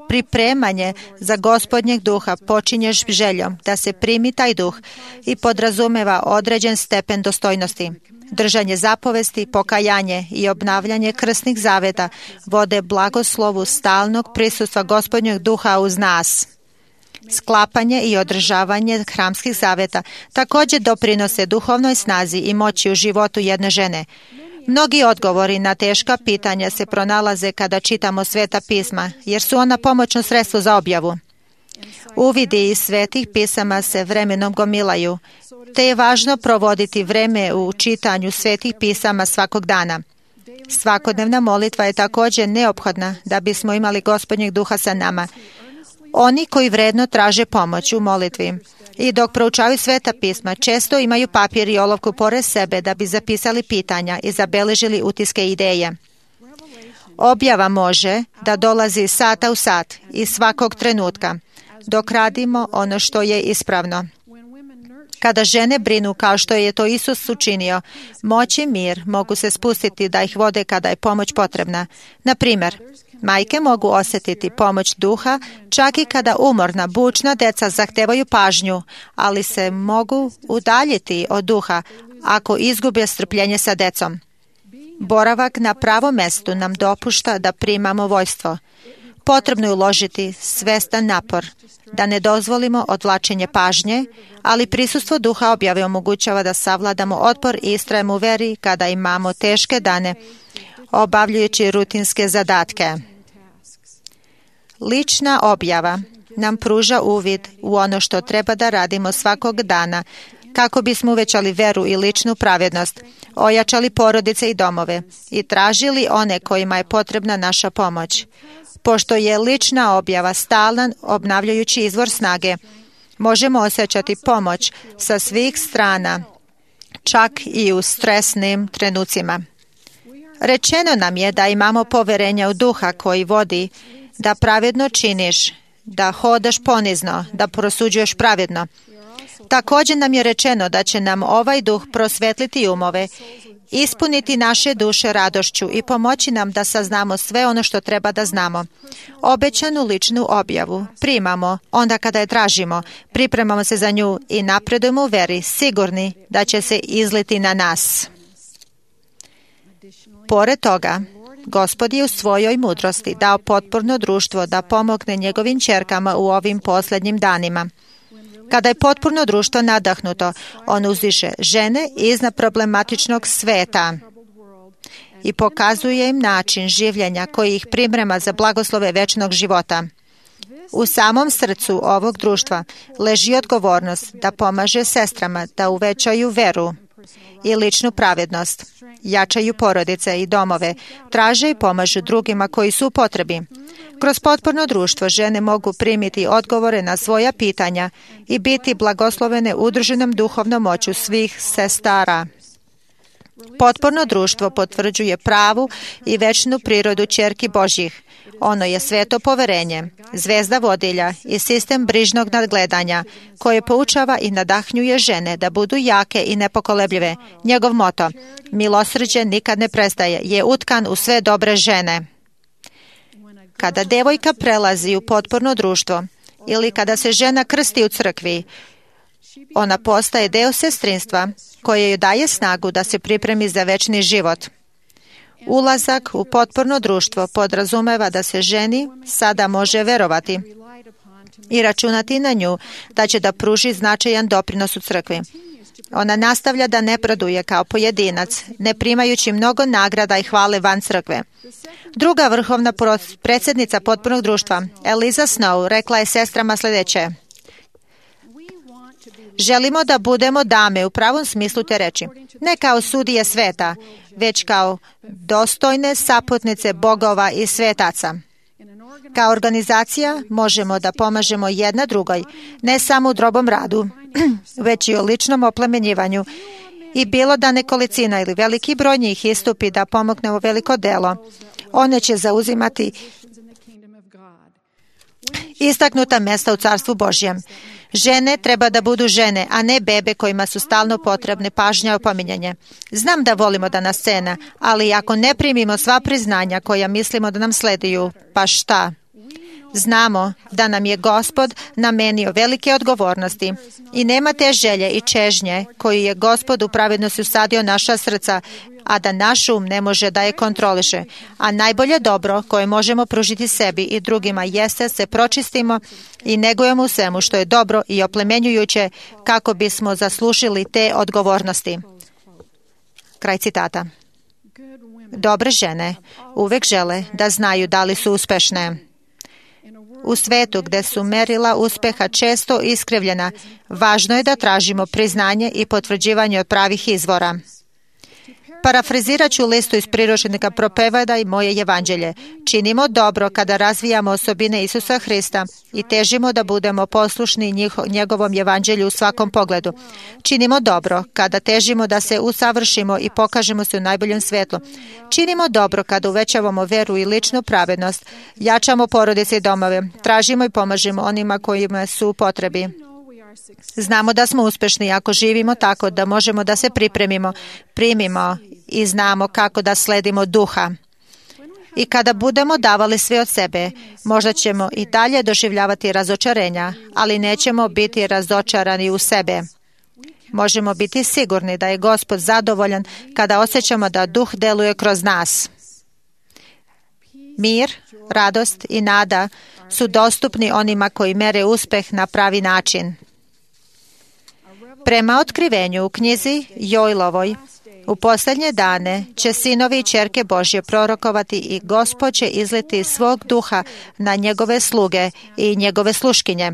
Pripremanje za Gospodnjeg duha počinje željom da se primi taj duh i podrazumeva određen stepen dostojnosti. Držanje zapovesti, pokajanje i obnavljanje krsnih zaveta vode blagoslovu stalnog prisustva Gospodnjeg duha uz nas. Sklapanje i održavanje hramskih zaveta također doprinose duhovnoj snazi i moći u životu jedne žene. Mnogi odgovori na teška pitanja se pronalaze kada čitamo Sveta pisma, jer su ona pomoćno sredstvo za objavu. Uvidi iz Svetih pisama se vremenom gomilaju, te je važno provoditi vreme u čitanju Svetih pisama svakog dana. Svakodnevna molitva je također neophodna da bismo imali Gospodnjeg duha sa nama. Oni koji vredno traže pomoć u molitvi i dok proučavaju Sveta pisma, često imaju papir i olovku pored sebe da bi zapisali pitanja i zabeležili utiske ideje. Objava može da dolazi sata u sat i svakog trenutka, dok radimo ono što je ispravno. Kada žene brinu kao što je to Isus učinio, moć i mir mogu se spustiti da ih vode kada je pomoć potrebna. Na primjer, majke mogu osjetiti pomoć duha čak i kada umorna, bučna deca zahtevaju pažnju, ali se mogu udaljiti od duha ako izgube strpljenje sa decom. Boravak na pravom mestu nam dopušta da primamo vojstvo. Potrebno je uložiti svestan napor, da ne dozvolimo odvlačenje pažnje, ali prisustvo duha objave omogućava da savladamo otpor i istrajemo u veri kada imamo teške dane, obavljajući rutinske zadatke. Lična objava nam pruža uvid u ono što treba da radimo svakog dana, kako bismo uvećali veru i ličnu pravednost, ojačali porodice i domove i tražili one kojima je potrebna naša pomoć. Pošto je lična objava stalan, obnavljajući izvor snage, možemo osjećati pomoć sa svih strana, čak i u stresnim trenucima. Rečeno nam je da imamo poverenja u duha koji vodi, da pravedno činiš, da hodaš ponizno, da prosuđuješ pravedno. Također nam je rečeno da će nam ovaj duh prosvetliti umove, ispuniti naše duše radošću i pomoći nam da saznamo sve ono što treba da znamo. Obećanu ličnu objavu primamo onda kada je tražimo, pripremamo se za nju i napredujemo u veri, sigurni da će se izliti na nas. Pored toga, Gospod je u svojoj mudrosti dao potporno društvo da pomogne njegovim ćerkama u ovim posljednjim danima. Kada je potpuno društvo nadahnuto, on uzdiže žene iznad problematičnog sveta i pokazuje im način življenja koji ih priprema za blagoslove večnog života. U samom srcu ovog društva leži odgovornost da pomaže sestrama da uvećaju veru i ličnu pravednost, jačaju porodice i domove, traže i pomažu drugima koji su u potrebi. Kroz potporno društvo žene mogu primiti odgovore na svoja pitanja i biti blagoslovene udruženom duhovnom moću svih sestara. Potporno društvo potvrđuje pravu i večnu prirodu ćerki Božjih. Ono je sveto poverenje, zvezda vodilja i sistem brižnog nadgledanja koje poučava i nadahnjuje žene da budu jake i nepokolebljive. Njegov moto, milosrđe nikad ne prestaje, je utkan u sve dobre žene. Kada devojka prelazi u potporno društvo ili kada se žena krsti u crkvi, ona postaje deo sestrinstva koje joj daje snagu da se pripremi za večni život. Ulazak u potporno društvo podrazumeva da se ženi sada može verovati i računati na nju da će da pruži značajan doprinos u crkvi. Ona nastavlja da napreduje kao pojedinac, ne primajući mnogo nagrada i hvale van crkve. Druga vrhovna predsjednica potpornog društva, Eliza Snow, rekla je sestrama sljedeće: želimo da budemo dame u pravom smislu te reči, ne kao sudije sveta, već kao dostojne saputnice bogova i svetaca. Kao organizacija možemo da pomažemo jedna drugoj, ne samo u drobom radu, već i u ličnom oplemenjivanju. I bilo da nekolicina ili veliki broj njih istupi da pomogne u veliko delo, one će zauzimati istaknuta mjesta u Carstvu Božjem. Žene treba da budu žene, a ne bebe kojima su stalno potrebne pažnja i opominjanje. Znam da volimo da nas cena, ali ako ne primimo sva priznanja koja mislimo da nam sleduju, pa šta? Znamo da nam je Gospod namenio velike odgovornosti i nema te želje i čežnje koju je Gospod u pravednosti usadio naša srca, a da naš um ne može da je kontroliše. A najbolje dobro koje možemo pružiti sebi i drugima jeste se pročistimo i negujemo u svemu što je dobro i oplemenjujuće kako bismo zaslužili te odgovornosti. Kraj citata. Dobre žene uvek žele da znaju da li su uspešne. U svetu gde su merila uspeha često iskrivljena, važno je da tražimo priznanje i potvrđivanje od pravih izvora. Parafrazirat ću listu iz priručnika Propovedaj moje evanđelje. Činimo dobro kada razvijamo osobine Isusa Hrista i težimo da budemo poslušni njegovom evanđelju u svakom pogledu. Činimo dobro kada težimo da se usavršimo i pokažemo se u najboljem svetlu. Činimo dobro kada uvećavamo veru i ličnu pravednost, jačamo porodice i domove, tražimo i pomažemo onima kojima su u potrebi. Znamo da smo uspešni ako živimo tako da možemo da se pripremimo, primimo i znamo kako da sledimo duha. I kada budemo davali sve od sebe, možda ćemo i dalje doživljavati razočarenja, ali nećemo biti razočarani u sebe. Možemo biti sigurni da je Gospod zadovoljan kada osjećamo da duh deluje kroz nas. Mir, radost i nada su dostupni onima koji mere uspeh na pravi način. Prema otkrivenju u knjizi Jojlovoj, u posljednje dane će sinovi i ćerke Božje prorokovati i Gospod će izliti svog duha na njegove sluge i njegove sluškinje.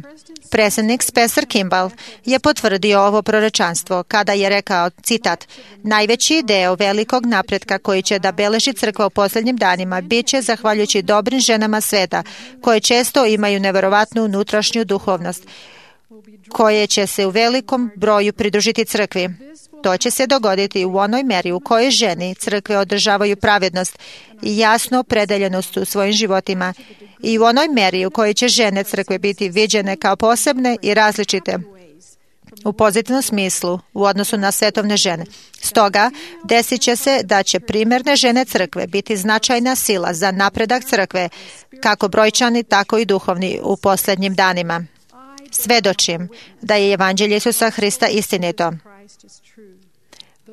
Predsjednik Spencer Kimball je potvrdio ovo proročanstvo kada je rekao, citat, najveći deo velikog napretka koji će da beleži crkva u posljednjim danima bit će zahvaljujući dobrim ženama sveta koje često imaju neverovatnu unutrašnju duhovnost koje će se u velikom broju pridružiti crkvi. To će se dogoditi u onoj meri u kojoj ženi crkve održavaju pravednost i jasno opredeljenost u svojim životima i u onoj meri u kojoj će žene crkve biti viđene kao posebne i različite u pozitivnom smislu u odnosu na svetovne žene. Stoga, desit će se da će primjerne žene crkve biti značajna sila za napredak crkve, kako brojčani, tako i duhovni u posljednjim danima. Svedočim da je evanđelje Isusa Hrista istinito.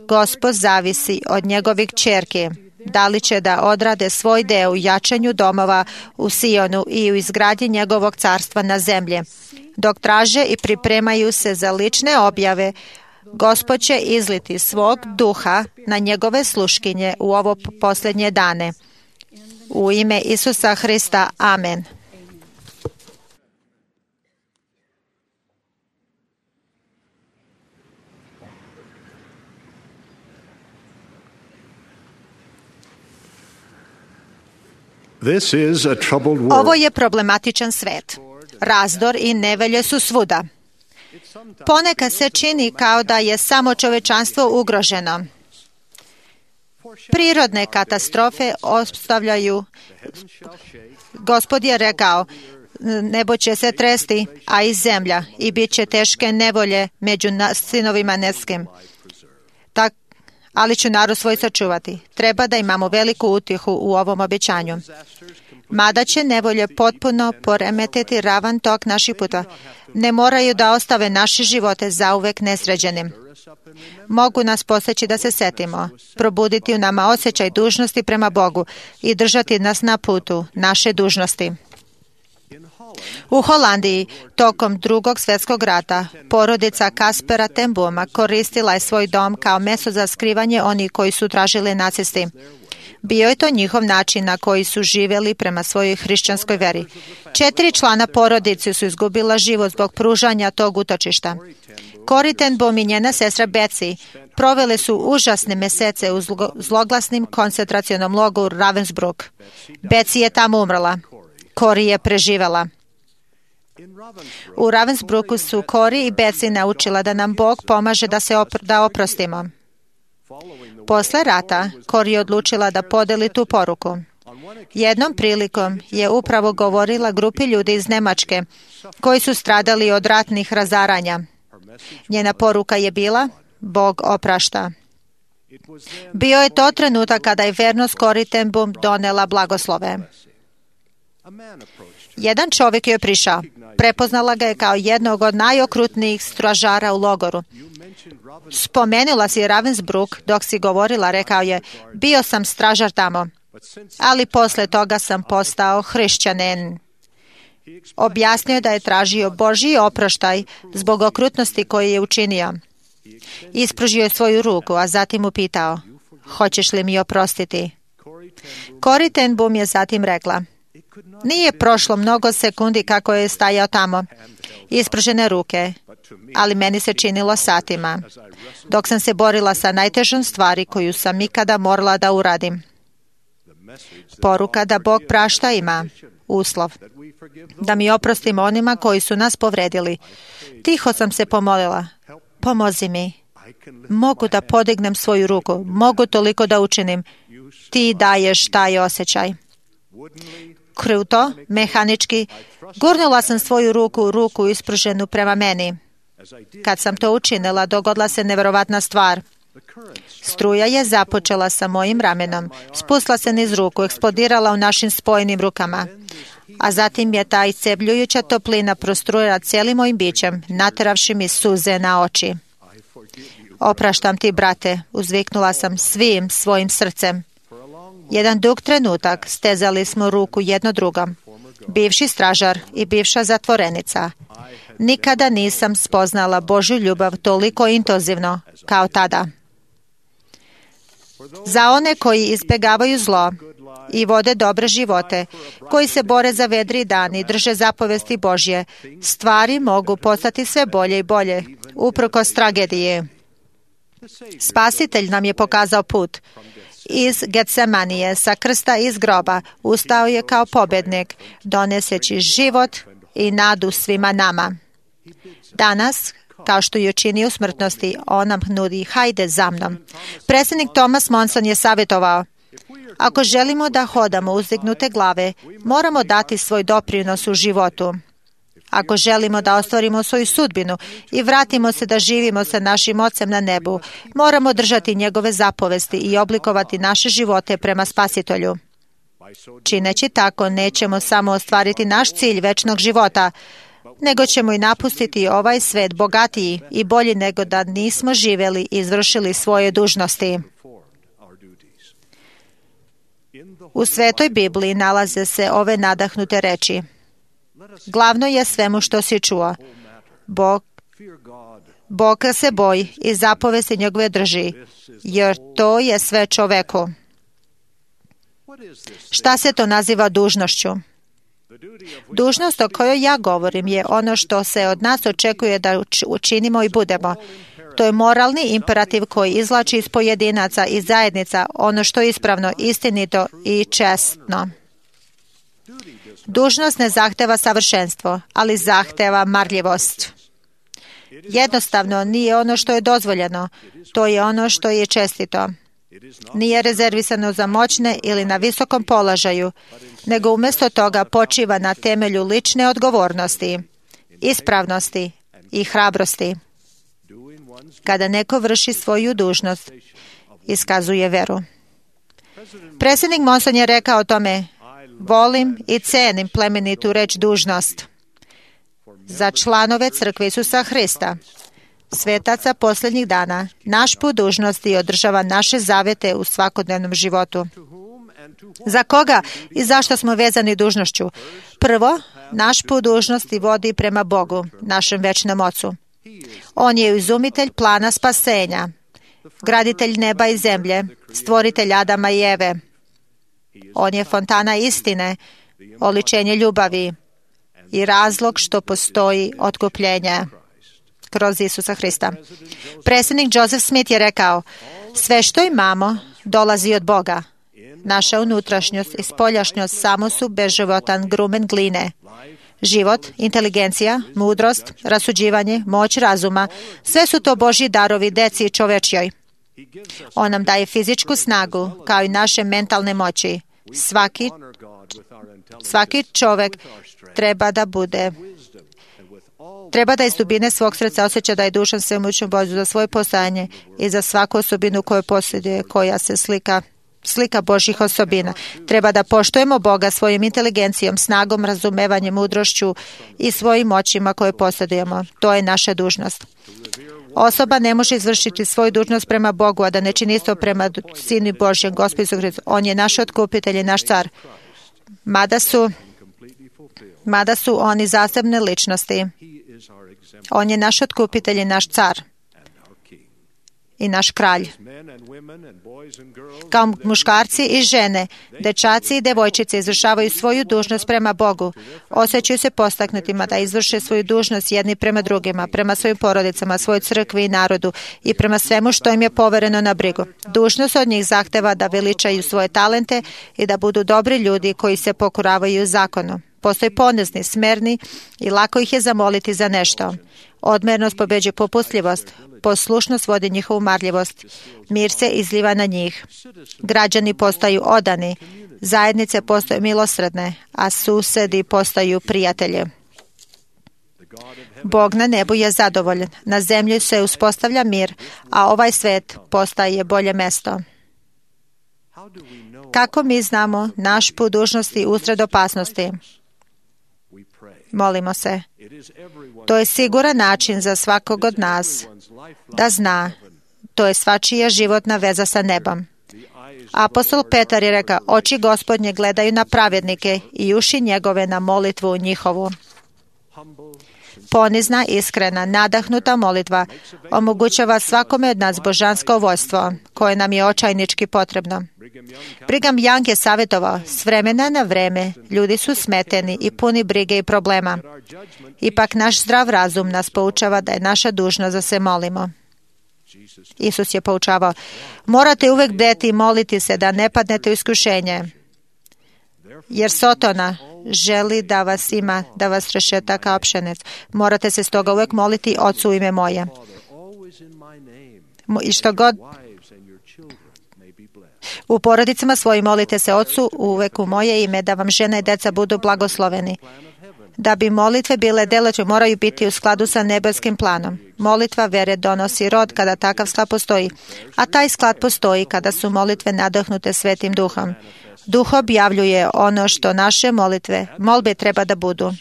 Gospod zavisi od njegovih ćerki, da li će da odrade svoj deo u jačanju domova u Sionu i u izgradnji njegovog carstva na zemlji. Dok traže i pripremaju se za lične objave, Gospod će izliti svog duha na njegove sluškinje u ovo posljednje dane. U ime Isusa Hrista, amen. Ovo je problematičan svet. Razdor i nevolje su svuda. Ponekad se čini kao da je samo čovečanstvo ugroženo. Prirodne katastrofe ostavljaju. Gospod je rekao, nebo će se tresti, a i zemlja, i bit će teške nevolje među sinovima neskim. Ali ću narod svoj sačuvati. Treba da imamo veliku utihu u ovom obećanju. Mada će nevolje potpuno poremetiti ravan tok naših puta, ne moraju da ostave naše živote zauvek nesređenim. Mogu nas poseći da se setimo, probuditi u nama osjećaj dužnosti prema Bogu i držati nas na putu naše dužnosti. U Holandiji, tokom Drugog svjetskog rata, porodica Kaspera ten Booma koristila je svoj dom kao mesto za skrivanje onih koji su tražili nacisti. Bio je to njihov način na koji su živjeli prema svojoj hrišćanskoj veri. 4 člana porodice su izgubila život zbog pružanja tog utočišta. Corrie ten Boom i njena sestra Betsy provele su užasne mesece u zloglasnim koncentracionom logoru Ravensbrück. Betsy je tamo umrla. Corrie je preživela. U Ravensbrücku su Corrie i Betsy naučila da nam Bog pomaže da oprostimo. Posle rata, Corrie je odlučila da podeli tu poruku. Jednom prilikom je upravo govorila grupi ljudi iz Nemačke koji su stradali od ratnih razaranja. Njena poruka je bila, Bog oprašta. Bio je to trenutak kada je vernost Corrie ten Boom donela blagoslove. Jedan čovjek je prišao. Prepoznala ga je kao jednog od najokrutnijih stražara u logoru. Spomenula si Ravensbrück dok si govorila, rekao je, bio sam stražar tamo, ali posle toga sam postao hrišćanin. Objasnio je da je tražio Božji oproštaj zbog okrutnosti koju je učinio. Ispružio je svoju ruku, a zatim upitao, hoćeš li mi oprostiti? Corrie ten Boom je zatim rekla: nije prošlo mnogo sekundi kako je stajao tamo, ispružene ruke, ali meni se činilo satima, dok sam se borila sa najtežom stvari koju sam ikada morala da uradim. Poruka da Bog prašta ima uslov da mi oprostimo onima koji su nas povredili. Tiho sam se pomolila: pomozi mi. Mogu da podignem svoju ruku, mogu toliko da učinim. Ti daješ taj osjećaj. Kruto, mehanički, gurnula sam svoju ruku ispruženu prema meni. Kad sam to učinila, dogodila se neverovatna stvar. Struja je započela sa mojim ramenom, spustila se niz ruku, eksplodirala u našim spojenim rukama, a zatim je ta iscebljujuća toplina prostrujala cijelim mojim bićem, nateravši mi suze na oči. Opraštam ti, brate, uzviknula sam svim svojim srcem. Jedan dug trenutak stezali smo ruku jedno drugom. Bivši stražar i bivša zatvorenica. Nikada nisam spoznala Božju ljubav toliko intenzivno kao tada. Za one koji izbjegavaju zlo i vode dobre živote, koji se bore za vedri dan i drže zapovesti Božje, stvari mogu postati sve bolje i bolje, uprkos tragedije. Spasitelj nam je pokazao put. Iz Getsemanije, sa krsta iz groba, ustao je kao pobjednik, doneseći život i nadu svima nama. Danas, kao što je učinio u smrtnosti, on nam nudi: hajde za mnom. Predsjednik Thomas Monson je savjetovao: ako želimo da hodamo uzdignute glave, moramo dati svoj doprinos u životu. Ako želimo da ostvarimo svoju sudbinu i vratimo se da živimo sa našim Ocem na nebu, moramo držati njegove zapovesti i oblikovati naše živote prema Spasitelju. Čineći tako, nećemo samo ostvariti naš cilj večnog života, nego ćemo i napustiti ovaj svet bogatiji i bolji nego da nismo živjeli i izvršili svoje dužnosti. U Svetoj Bibliji nalaze se ove nadahnute reči: glavno je svemu što si čuo. Boga se boji i zapovesti njegove drži, jer to je sve čoveku. Šta se to naziva dužnošću? Dužnost o kojoj ja govorim je ono što se od nas očekuje da učinimo i budemo. To je moralni imperativ koji izvlači iz pojedinaca i zajednica ono što je ispravno, istinito i čestno. Dužnost ne zahteva savršenstvo, ali zahteva marljivost. Jednostavno nije ono što je dozvoljeno, to je ono što je čestito. Nije rezervisano za moćne ili na visokom položaju, nego umjesto toga počiva na temelju lične odgovornosti, ispravnosti i hrabrosti. Kada neko vrši svoju dužnost, iskazuje veru. Predsjednik Monson je rekao o tome: volim i cenim plemenitu reč dužnost. Za članove Crkve Isusa Hrista, svetaca posljednjih dana, naš put dužnosti održava naše zavete u svakodnevnom životu. Za koga i zašto smo vezani dužnošću? Prvo, naš put dužnosti vodi prema Bogu, našem večnom Ocu. On je izumitelj plana spasenja, graditelj neba i zemlje, stvoritelj Adama i Eve. On je fontana istine, oličenje ljubavi i razlog što postoji otkupljenje kroz Isusa Hrista. Predsjednik Joseph Smith je rekao: sve što imamo dolazi od Boga. Naša unutrašnjost i spoljašnjost samo su beživotan grumen gline. Život, inteligencija, mudrost, rasuđivanje, moć razuma, sve su to Božji darovi deci čovečjoj. On nam daje fizičku snagu, kao i naše mentalne moći. Svaki čovjek treba da iz dubine svog srca osjeća da je dužan svemoćnom Bogu za svoje postojanje i za svaku osobinu koju posjeduje, koja se slika Božjih osobina. Treba da poštujemo Boga svojom inteligencijom, snagom, razumevanjem, mudrošću i svojim moćima koje posjedujemo. To je naša dužnost. Osoba ne može izvršiti svoju dužnost prema Bogu, a da ne čini isto prema Sinu Božjem, Gospodu Isusu Hristu. On je naš otkupitelj i naš car. Mada su oni zasebne ličnosti. On je naš otkupitelj i naš car. i naš kralj. Kao muškarci i žene, dečaci i devojčice izvršavaju svoju dužnost prema Bogu. Osjećaju se postaknutima da izvrše svoju dužnost jedni prema drugima, prema svojim porodicama, svojoj crkvi i narodu i prema svemu što im je povereno na brigu. Dužnost od njih zahteva da veličaju svoje talente i da budu dobri ljudi koji se pokoravaju zakonu. Postoji ponizni, smerni i lako ih je zamoliti za nešto. Odmernost pobeđuje popustljivost, poslušnost vodi njihovu marljivost, mir se izliva na njih. Građani postaju odani, zajednice postaju milosrdne, a susedi postaju prijatelji. Bog na nebu je zadovoljan, na zemlji se uspostavlja mir, a ovaj svet postaje bolje mesto. Kako mi znamo naš put dužnosti usred opasnosti? Molimo se. To je siguran način za svakog od nas da zna. To je svačija životna veza sa nebom. Apostol Petar je rekao, oči Gospodnje gledaju na pravednike i uši njegove na molitvu njihovu. Ponizna, iskrena, nadahnuta molitva omogućava svakome od nas božansko vojstvo, koje nam je očajnički potrebno. Brigham Young je savjetovao, s vremena na vreme ljudi su smeteni i puni brige i problema. Ipak naš zdrav razum nas poučava da je naša dužnost da se molimo. Isus je poučavao, morate uvek bdeti i moliti se da ne padnete u iskušenje, jer Sotona želi da vas ima, da vas rešeta kao pšenec. Morate se stoga uvek moliti Ocu u ime moje. I što god u porodicama svojim molite se Ocu uvek u moje ime, da vam žena i deca budu blagosloveni. Da bi molitve bile deleće, moraju biti u skladu sa nebeskim planom. Molitva vere donosi rod kada takav sklad postoji, a taj sklad postoji kada su molitve nadahnute Svetim Duhom. Duh objavljuje ono što naše molbe treba da budu.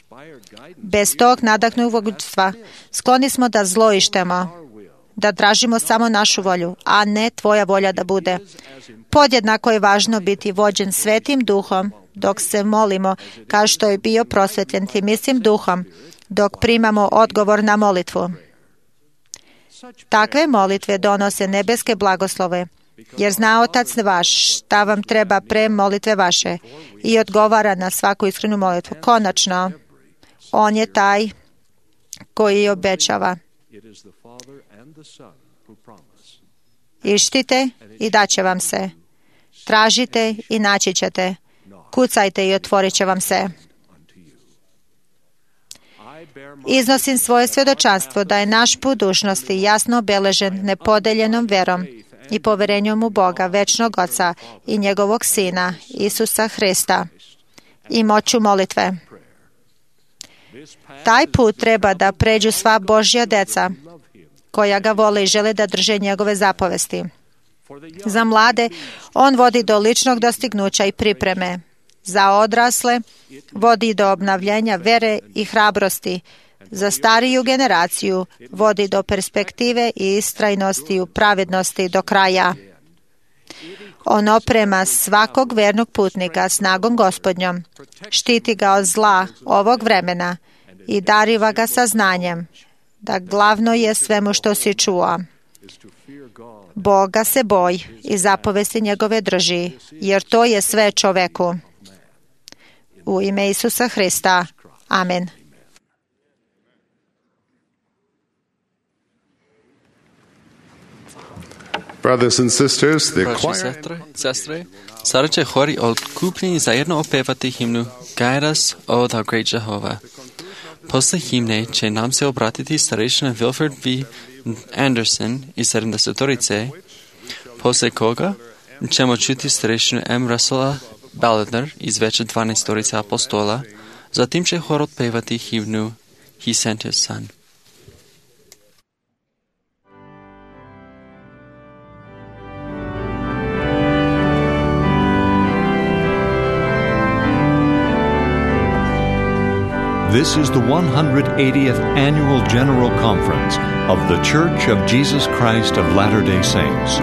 Bez tog nadahnutog vodstva skloni smo da zloištemo, da tražimo samo našu volju, a ne tvoja volja da bude. Podjednako je važno biti vođen Svetim Duhom dok se molimo, kao što je bio prosvetljen tim istim Duhom, dok primamo odgovor na molitvu. Takve molitve donose nebeske blagoslove, jer zna Otac vaš šta vam treba pre molitve vaše i odgovara na svaku iskrenu molitvu. Konačno, On je taj koji obećava. Ištite i daće vam se. Tražite i naći ćete. Kucajte i otvorit će vam se. Iznosim svoje svjedočanstvo da je naš put dužnosti jasno obeležen nepodeljenom verom i poverenjom u Boga, večnog Oca i njegovog Sina, Isusa Hrista, i moću molitve. Taj put treba da pređu sva Božja deca koja ga vole i žele da drže njegove zapovesti. Za mlade, on vodi do ličnog dostignuća i pripreme. Za odrasle, vodi do obnavljenja vere i hrabrosti. Za stariju generaciju, vodi do perspektive i istrajnosti u pravednosti do kraja. On oprema svakog vernog putnika snagom Gospodnjom, štiti ga od zla ovog vremena i dariva ga sa znanjem, da glavno je svemu što si čuo. Boga se boj i zapovesti njegove drži, jer to je sve čoveku. U ime Isusa Hrista. Amen. Brothers and sisters, the Braći i choir sestre, sada će hori odkupljeni zajedno opevati himnu Guide us, O thou great Jehovah. Posle himne će nam se obratiti starešina Wilford V. Anderson iz 70-torice, posle koga ćemo čuti starešinu M. Russella Balladner iz veće 12-torice apostola, zatim će hor otpevati himnu He sent his son. This is the 180th Annual General Conference of the Church of Jesus Christ of Latter-day Saints.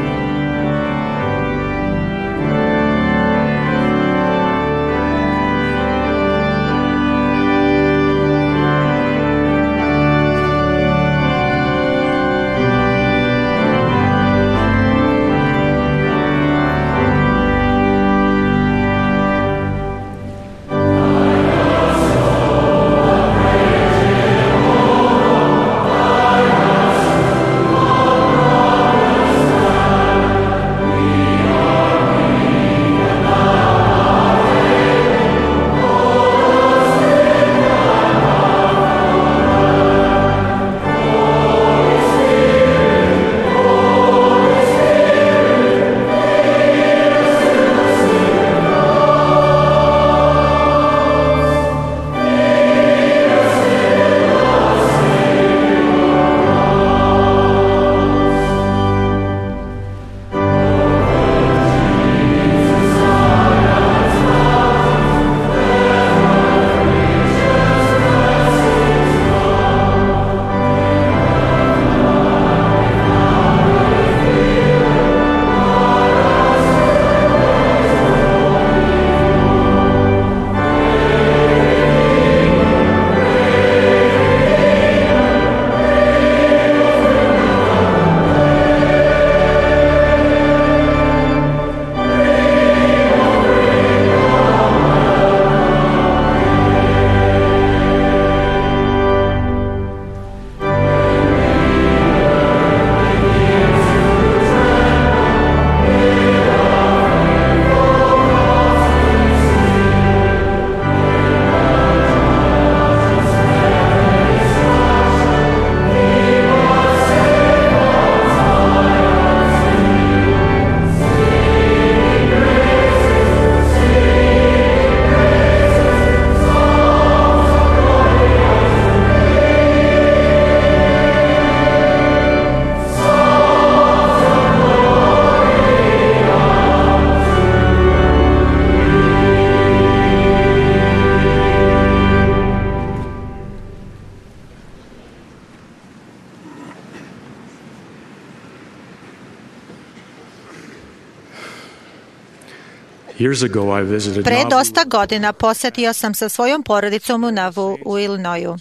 Pre dosta godina posjetio sam sa svojom porodicom u Nauvoo u Illinoisu.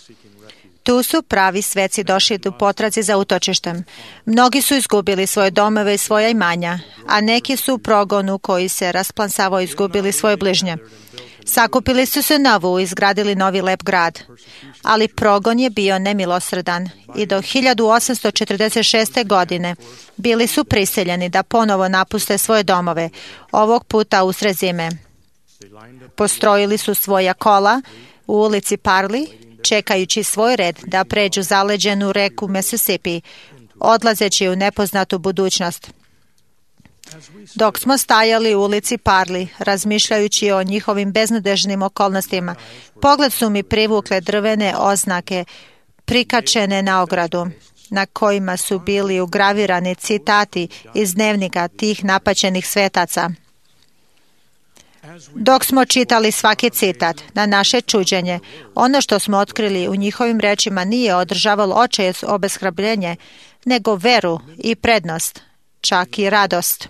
Tu su pravi sveci došli u potrazi za utočištem. Mnogi su izgubili svoje domove i svoja imanja, a neki su u progonu koji se rasplansavao izgubili svoje bližnje. Sakupili su se Nauvoo i izgradili novi lep grad. Ali progon je bio nemilosredan i do 1846. godine bili su prisiljeni da ponovo napuste svoje domove, ovog puta usred zime. Postrojili su svoja kola u ulici Parley, čekajući svoj red da pređu zaleđenu reku Mississippi, odlazeći u nepoznatu budućnost. Dok smo stajali u ulici Parley, razmišljajući o njihovim beznadežnim okolnostima, pogled su mi privukle drvene oznake prikačene na ogradu, na kojima su bili ugravirani citati iz dnevnika tih napaćenih svetaca. Dok smo čitali svaki citat, na naše čuđenje, ono što smo otkrili u njihovim rečima nije održavalo očaj obeshrabrenje, nego veru i prednost, čak i radost.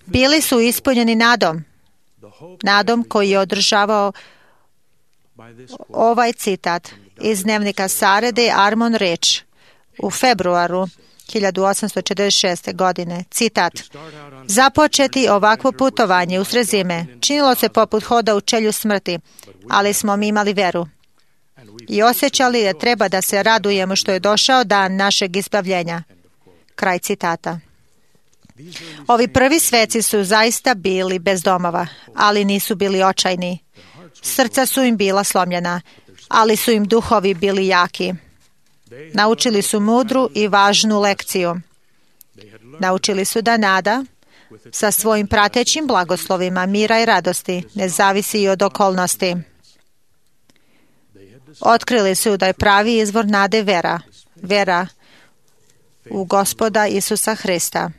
Bili su ispunjeni nadom koji je održavao ovaj citat iz dnevnika Sare de Armon Rich u februaru 1846. godine. Citat: započeti ovakvo putovanje usred zime činilo se poput hoda u čelju smrti, ali smo mi imali veru i osjećali da treba da se radujemo što je došao dan našeg izbavljenja. Kraj citata. Ovi prvi sveci su zaista bili bez domova, ali nisu bili očajni. Srca su im bila slomljena, ali su im duhovi bili jaki. Naučili su mudru i važnu lekciju. Naučili su da nada sa svojim pratećim blagoslovima mira i radosti ne zavisi i od okolnosti. Otkrili su da je pravi izvor nade vera u Gospoda Isusa Hrista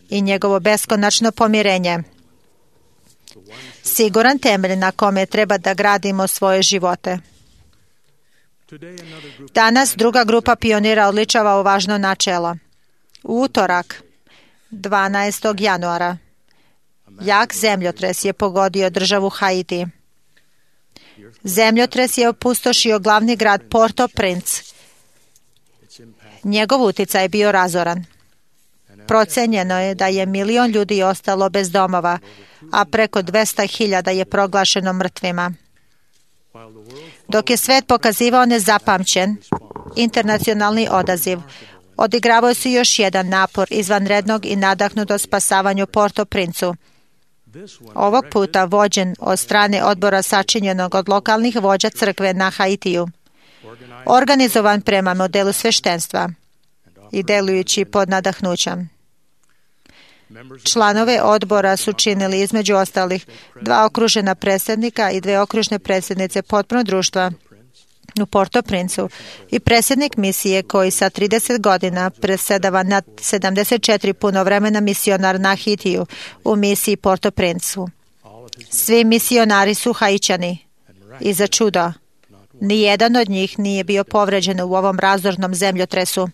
i njegovo beskonačno pomirenje. Siguran temelj na kome treba da gradimo svoje živote. Danas druga grupa pionira odličava ovo važno načelo. U utorak, 12. januara, jak zemljotres je pogodio državu Haiti. Zemljotres je opustošio glavni grad Port-au-Prince. Njegov uticaj je bio razoran. Procenjeno je da je 1 milion ljudi ostalo bez domova, a preko 200.000 je proglašeno mrtvima. Dok je svet pokazivao nezapamćen internacionalni odaziv, odigravao se još jedan napor izvanrednog i nadahnuto spasavanju Port-au-Princu. Ovog puta vođen od strane odbora sačinjenog od lokalnih vođa crkve na Haitiju. Organizovan prema modelu sveštenstva i delujući pod nadahnućem. Članove odbora su činili između ostalih 2 okružena predsjednika i 2 okružne predsjednice potpunog društva u Port-au-Princu i predsjednik misije koji sa 30 godina predsjedava nad 74 punovremena misionar na Haitiju u misiji Port-au-Princu. Svi misionari su Haićani i za čudo, nijedan od njih nije bio povređen u ovom razornom zemljotresu.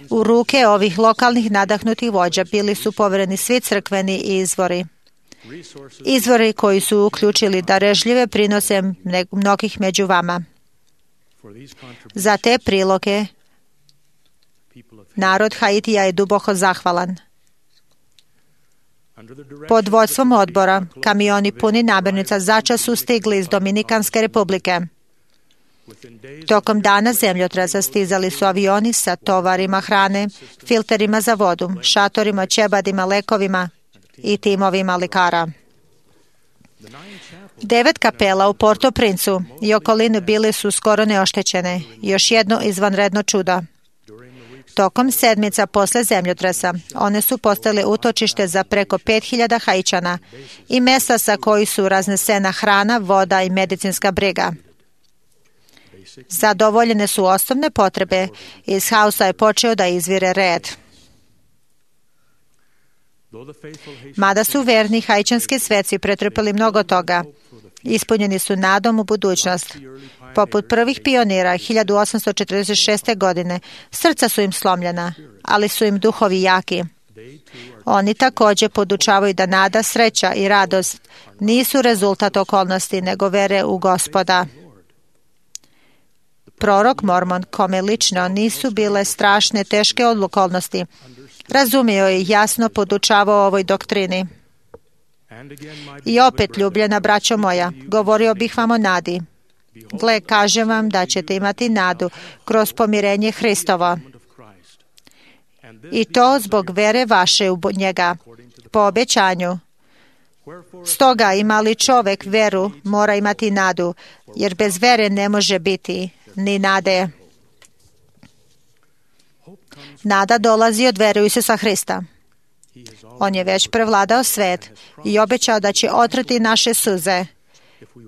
U ruke ovih lokalnih nadahnutih vođa bili su povereni svi crkveni izvori. Izvori koji su uključili darežljive prinose mnogih među vama. Za te priloge narod Haitija je duboko zahvalan. Pod vodstvom odbora kamioni puni namirnica začas su stigli iz Dominikanske republike. Tokom dana zemljotresa stizali su avioni sa tovarima hrane, filterima za vodu, šatorima, ćebadima, lekovima i timovima lekara. 9 kapela u Port-au-Princu i okolini bili su skoro neoštećene. Još jedno izvanredno čudo. Tokom sedmica posle zemljotresa one su postale utočište za preko 5.000 Haićana i mesta sa koji su raznesena hrana, voda i medicinska briga. Zadovoljene su osnovne potrebe i iz haosa je počeo da izvire red. Mada su verni haićanski sveci pretrpeli mnogo toga, ispunjeni su nadom u budućnost. Poput prvih pionira 1846. godine, srca su im slomljena, ali su im duhovi jaki. Oni također podučavaju da nada, sreća i radost nisu rezultat okolnosti, nego vere u Gospoda. Prorok Mormon, kome lično nisu bile strašne, teške okolnosti, razumio i jasno podučavao ovoj doktrini. I opet, ljubljena braćo moja, govorio bih vam o nadi. Gle, kažem vam da ćete imati nadu kroz pomirenje Hristova. I to zbog vere vaše u njega, po obećanju. Stoga, ima li čovjek veru, mora imati nadu, jer bez vere ne može biti ni nade. Nada dolazi od vere u Isusa Hrista. On je već prevladao svet i obećao da će otrati naše suze,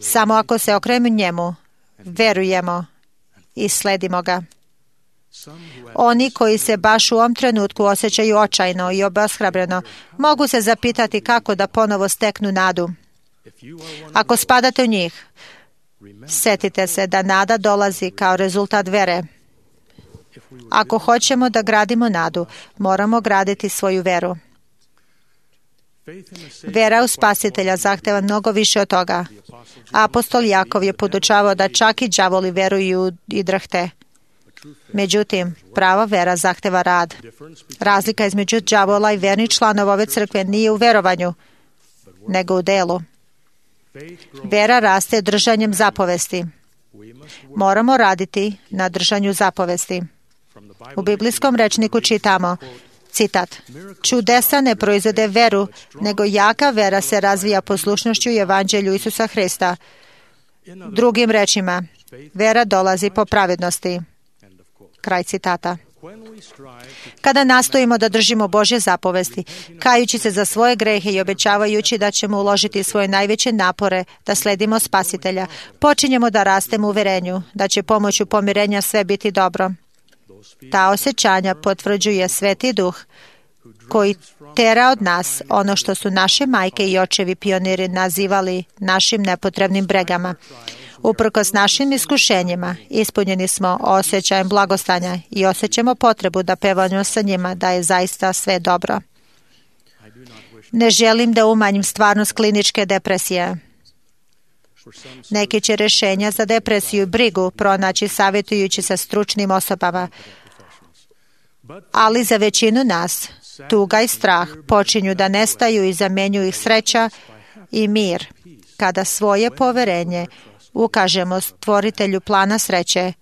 samo ako se okrenemo njemu, verujemo i sledimo ga. Oni koji se baš u ovom trenutku osjećaju očajno i obeshrabreno, mogu se zapitati kako da ponovo steknu nadu. Ako spadate u njih, setite se da nada dolazi kao rezultat vere. Ako hoćemo da gradimo nadu, moramo graditi svoju veru. Vera u Spasitelja zahteva mnogo više od toga. Apostol Jakov je podučavao da čak i đavoli veruju i drhte. Međutim, prava vera zahteva rad. Razlika između đavola i vernih članova ove crkve nije u verovanju, nego u delu. Vera raste držanjem zapovesti. Moramo raditi na držanju zapovesti. U biblijskom rečniku čitamo, citat, čudesa ne proizvode veru, nego jaka vera se razvija poslušnošću evanđelju Isusa Hrista. Drugim rečima, vera dolazi po pravednosti. Kraj citata. Kada nastojimo da držimo Božje zapovesti, kajući se za svoje grehe i obećavajući da ćemo uložiti svoje najveće napore da sledimo Spasitelja, počinjemo da rastemo u uverenju da će pomoću pomirenja sve biti dobro. Ta osjećanja potvrđuje Sveti Duh koji tera od nas ono što su naše majke i očevi pioniri nazivali našim nepotrebnim bregama. Uprkos našim iskušenjima, ispunjeni smo osjećajem blagostanja i osjećamo potrebu da pevamo sa njima da je zaista sve dobro. Ne želim da umanjim stvarnost kliničke depresije. Neki će rješenja za depresiju i brigu pronaći savjetujući sa stručnim osobama, ali za većinu nas tuga i strah počinju da nestaju i zamjenjuju ih sreća i mir kada svoje poverenje ukažemo stvoritelju plana sreće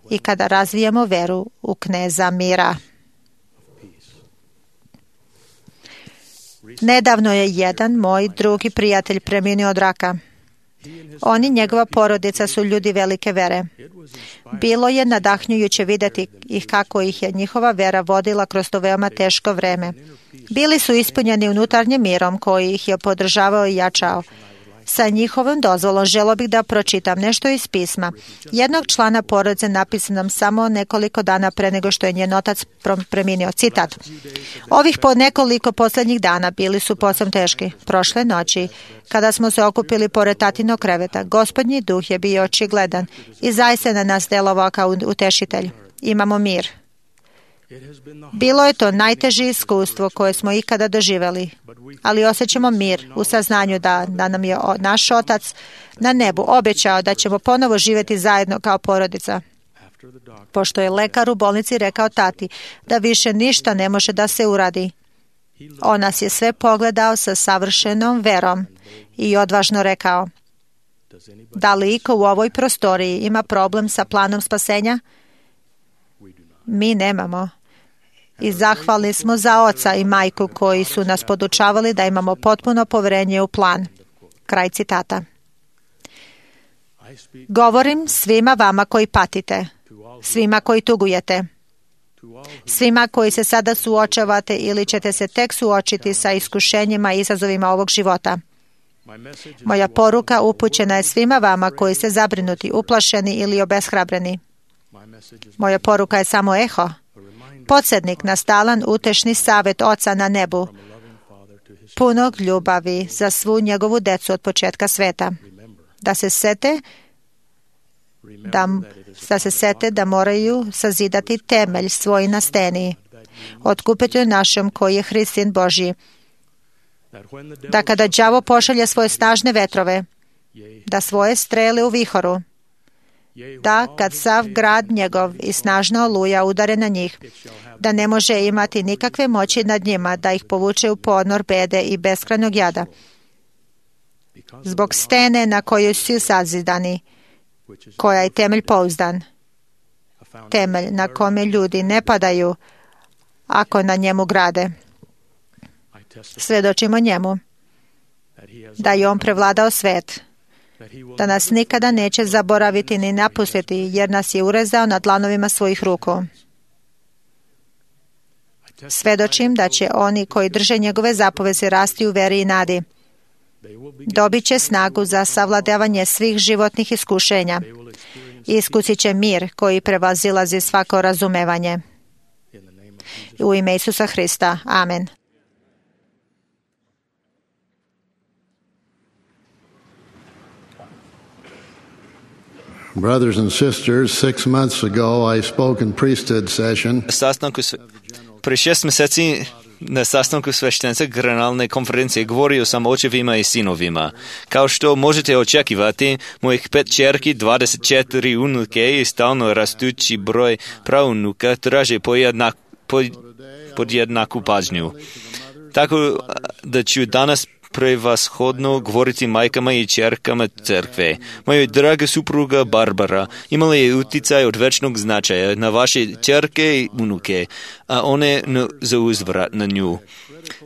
i kada razvijemo veru u kneza mira. Nedavno je jedan moj drugi prijatelj preminuo od raka. On i njegova porodica su ljudi velike vere. Bilo je nadahnjujuće vidjeti ih kako ih je njihova vera vodila kroz to veoma teško vreme. Bili su ispunjeni unutarnjim mirom koji ih je podržavao i jačao. Sa njihovom dozvolom želio bih da pročitam nešto iz pisma jednog člana porodice napisanom samo nekoliko dana pre nego što je njen otac preminuo. Citat. Ovih po nekoliko posljednjih dana bili su posebno teški. Prošle noći, kada smo se okupili pored tatinog kreveta, Gospodnji duh je bio očigledan i zaista na nas delovao kao utešitelj. Imamo mir. Bilo je to najteže iskustvo koje smo ikada doživjeli, ali osjećamo mir u saznanju da nam je naš Otac na nebu obećao da ćemo ponovo živjeti zajedno kao porodica. Pošto je lekar u bolnici rekao tati da više ništa ne može da se uradi, on nas je sve pogledao sa savršenom verom i odvažno rekao, da li iko u ovoj prostoriji ima problem sa planom spasenja? Mi nemamo. I zahvalni smo za oca i majku koji su nas podučavali da imamo potpuno poverenje u plan. Kraj citata. Govorim svima vama koji patite, svima koji tugujete, svima koji se sada suočavate ili ćete se tek suočiti sa iskušenjima i izazovima ovog života. Moja poruka upućena je svima vama koji ste zabrinuti, uplašeni ili obeshrabreni. Moja poruka je samo eho, podsjetnik na stalan utešni savjet Oca na nebu, punog ljubavi za svu njegovu decu od početka sveta. Da se sete da moraju sazidati temelj svoj na steni otkupitelju našem koji je Hrist sin Božji. Da kada đavo pošalje svoje snažne vetrove, da svoje strele u vihoru, da kad sav grad njegov i snažna oluja udare na njih, da ne može imati nikakve moći nad njima, da ih povuče u ponor bede i beskrajnog jada. Zbog stene na kojoj su sazidani, koja je temelj pouzdan, temelj na kome ljudi ne padaju ako na njemu grade. Svedočimo njemu da je on prevladao svet, da nas nikada neće zaboraviti ni napustiti, jer nas je urezao na dlanovima svojih ruku. Svedočim da će oni koji drže njegove zapovesti rasti u veri i nadi. Dobit će snagu za savladavanje svih životnih iskušenja. Iskusit će mir koji prevazilazi svako razumevanje. U ime Isusa Hrista. Amen. Brothers and sisters, 6 months ago I spoke in priesthood session. Pre 6 meseci na sastanku sveštenstva generalne konferencije govorio sam o očevima i sinovima. Kao što možete očekivati, mojih 5 ćerki, 24 unuke i stalno rastući broj praunuka traže podjednaku pažnju. Tako da ću danas prevashodno govoriti majkama i ćerkama crkve. Moja draga supruga Barbara imala je uticaj od večnog značaja na vaše ćerke i unuke, a one za uzvrat na nju.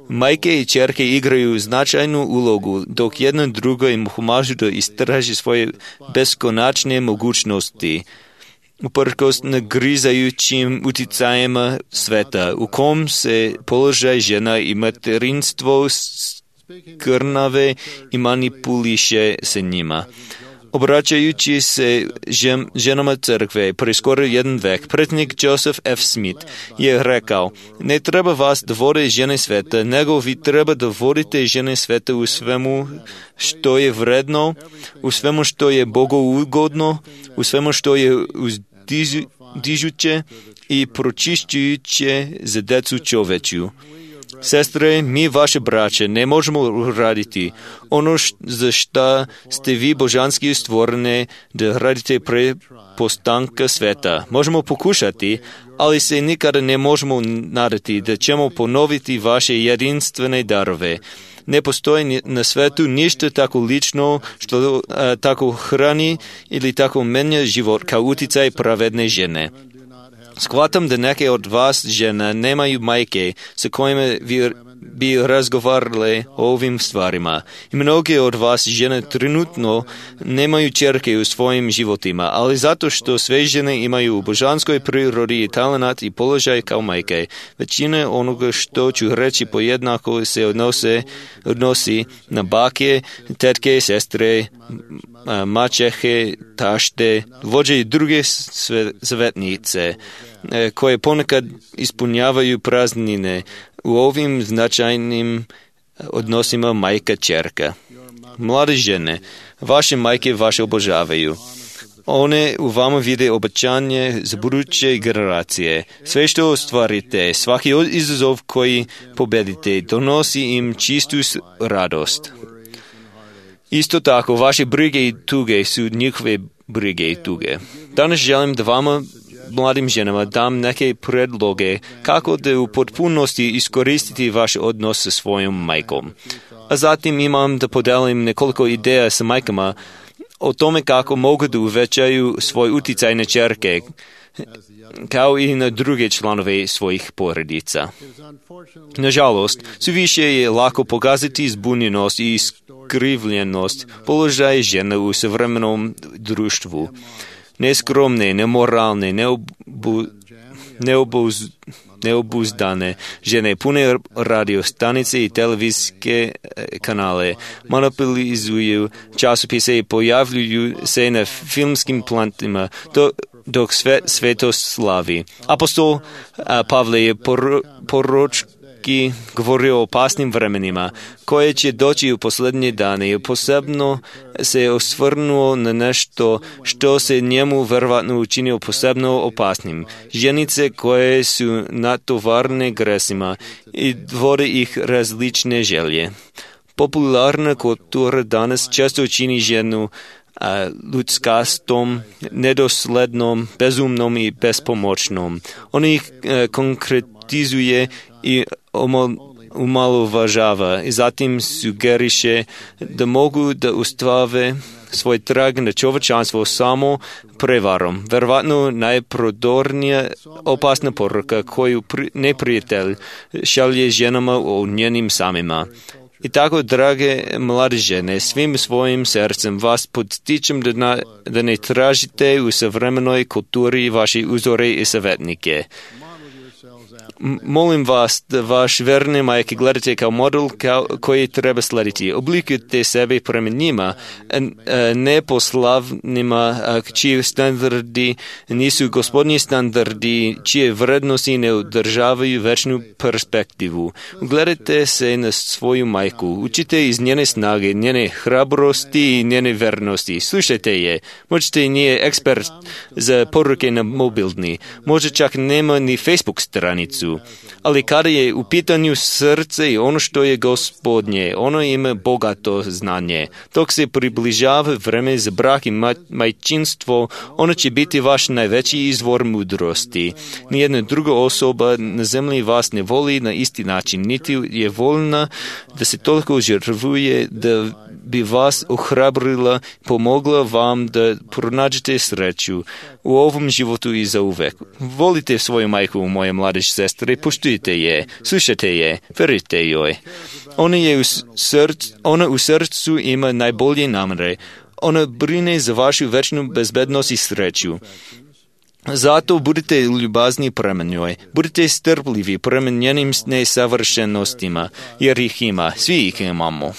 Majke i ćerke igraju značajnu ulogu, dok jedno drugo im pomažu da istraži svoje beskonačne mogućnosti. Uprkos nagrizajućim uticajima sveta, u kom se položaj žena i materinstvo krnave i manipuliše se njima. Obraćajući se ženama crkve pre skoro 1 vek, predsjednik Joseph F. Smith je rekao: ne treba vas da vode žene sveta, nego vi treba da vodite žene sveta u svemu što je vredno, u svemu što je bogougodno, u svemu što je uzdižuće i pročišćujuće za decu čovečju. Sestre, mi vaše braće ne možemo raditi ono za šta ste vi božanski stvorene da radite pre postanka sveta. Možemo pokušati, ali se nikada ne možemo nadati da ćemo ponoviti vaše jedinstvene darove. Ne postoji na svetu ništa tako lično što tako hrani ili tako menja život kao uticaj pravedne žene. Shvatam da neke od vas žena nemaju majke sa kojima bi razgovarale o ovim stvarima. I mnoge od vas žene trenutno nemaju ćerke u svojim životima, ali zato što sve žene imaju u božanskoj prirodi talenat i položaj kao majke. Većina onoga što ću reći pojednako se odnosi na bake, tetke, sestre, maćehe, tašte, vođe i druge svetnice, koje ponekad ispunjavaju praznine u ovim značajnim odnosima majka-ćerka. Mlade žene, vaše majke vaše obožavaju. One u vama vide obećanje za buduće generacije. Sve što ostvarite, svaki izazov koji pobedite, donosi im čistu radost. Isto tako, vaše brige i tuge su njihove brige i tuge. Danas želim da vama, mladim ženama, dam neke predloge kako da u potpunosti iskoristiti vaš odnos sa svojom majkom. A zatim imam da podelim nekoliko ideja sa majkama o tome kako mogu da uvećaju svoj uticaj na ćerke, kao i na druge članove svojih porodica. Nažalost, suviše je lako pokazati zbunjenost i iskrivljenost položaja žena u savremenom društvu. Neskromne, nemoralne, neobuzdane žene pune radio stanice i televizijske kanale, monopolizuju časopise i pojavljuju se na filmskim plantima, dok svet sveto slavi. Apostol Pavle je proroki govori o opasnim vremenima, koje će doći u posljednje dane i posebno se osvrnuo na nešto što se njemu verovatno učinio posebno opasnim. Ženice koje su natovarne gresima i vode ih različne želje. Popularna kultura danas često čini ženu ljudskastom, nedoslednom, bezumnom i bespomoćnom. On ih konkretizuje i umalovažava i zatim sugeriše da mogu da ustave svoj trag na čovječanstvo samo prevarom. Verovatno najprodornija opasna poruka koju neprijatelj šalje ženama o njenim samima. I tako, drage mlade žene, svim svojim srcem vas podstičem da ne tražite u savremenoj kulturi vaše uzore i savjetnike. Molim vas da vaš verne majke gledate kao model koji treba slediti. Oblikujte sebe prema njima, neposlavnima, čiji standardi nisu gospodnji standardi, čije vrednosti ne održavaju večnu perspektivu. Ugledajte se na svoju majku, učite iz njene snage, njene hrabrosti i njene vernosti. Slušajte je, možete nije ekspert za poruke na mobilni, možda čak nema ni Facebook stranicu. Ali kada je u pitanju srce i ono što je gospodnje, ono ima bogato znanje. Dok se približava vreme za brak i majčinstvo, ono će biti vaš najveći izvor mudrosti. Nijedna druga osoba na zemlji vas ne voli na isti način, niti je voljna da se toliko žrtvuje da bi vas ohrabrila, pomogla vam da pronađete sreću u ovom životu i zauvek. Volite svoju majku, moje mlade sestre, poštujte je, slušajte je, verujte joj. Ona u srcu ima najbolje namere. Ona brine za vašu večnu bezbednost i sreću. Zato budite ljubazni prema njoj, budite strpljivi prema njenim nesavršenostima, jer ih ima, svi ih imamo.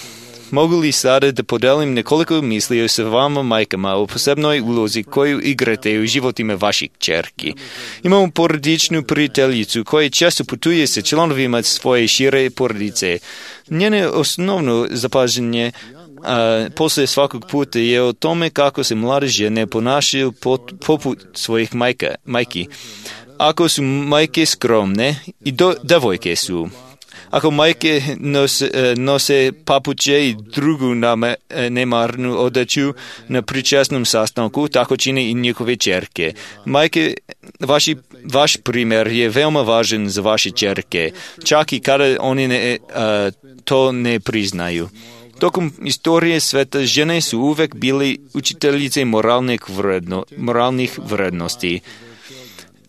Mogu li sada da podelim nekoliko misli sa vama majkama o posebnoj ulozi koju igrate u životima vaših kćerki? Imamo porodičnu prijateljicu koja često putuje sa članovima svoje šire porodice. Njene osnovno zapažanje poslije svakog puta je o tome kako se mlade žene ponašaju poput svojih majki. Ako su majke skromne i devojke su. Ako majke nose papuče i drugu nemarnu odeću na pričasnom sastanku, tako čine i njihove ćerke. Majke, vaš primjer je veoma važan za vaše ćerke, čak i kada oni to ne priznaju. Tokom istorije sveta žene su uvek bili učiteljice moralnih vrednosti.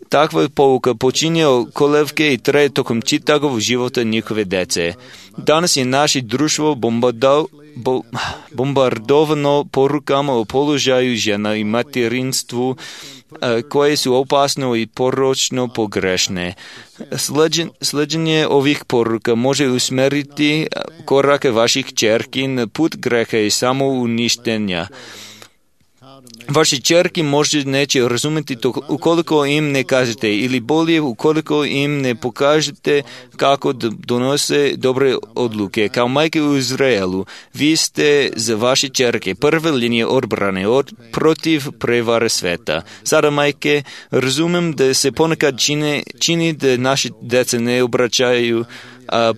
Takva pouka počinje kolevke i traje tokom čitavog života njihove dece. Danas je naše društvo bombardovano porukama o položaju žena i materinstvu koje su opasno i poročno pogrešne. Sleđenje ovih poruka može usmeriti korake vaših kćerki na put greha i samouništenja. Vaše ćerke možda neće razumjeti to ukoliko im ne kažete ili bolje ukoliko im ne pokažete kako donose dobre odluke. Kao majke u Izraelu, vi ste za vaše ćerke prve linije odbrane protiv prevare sveta. Sada majke, razumem da se ponekad čini da naše dece ne obraćaju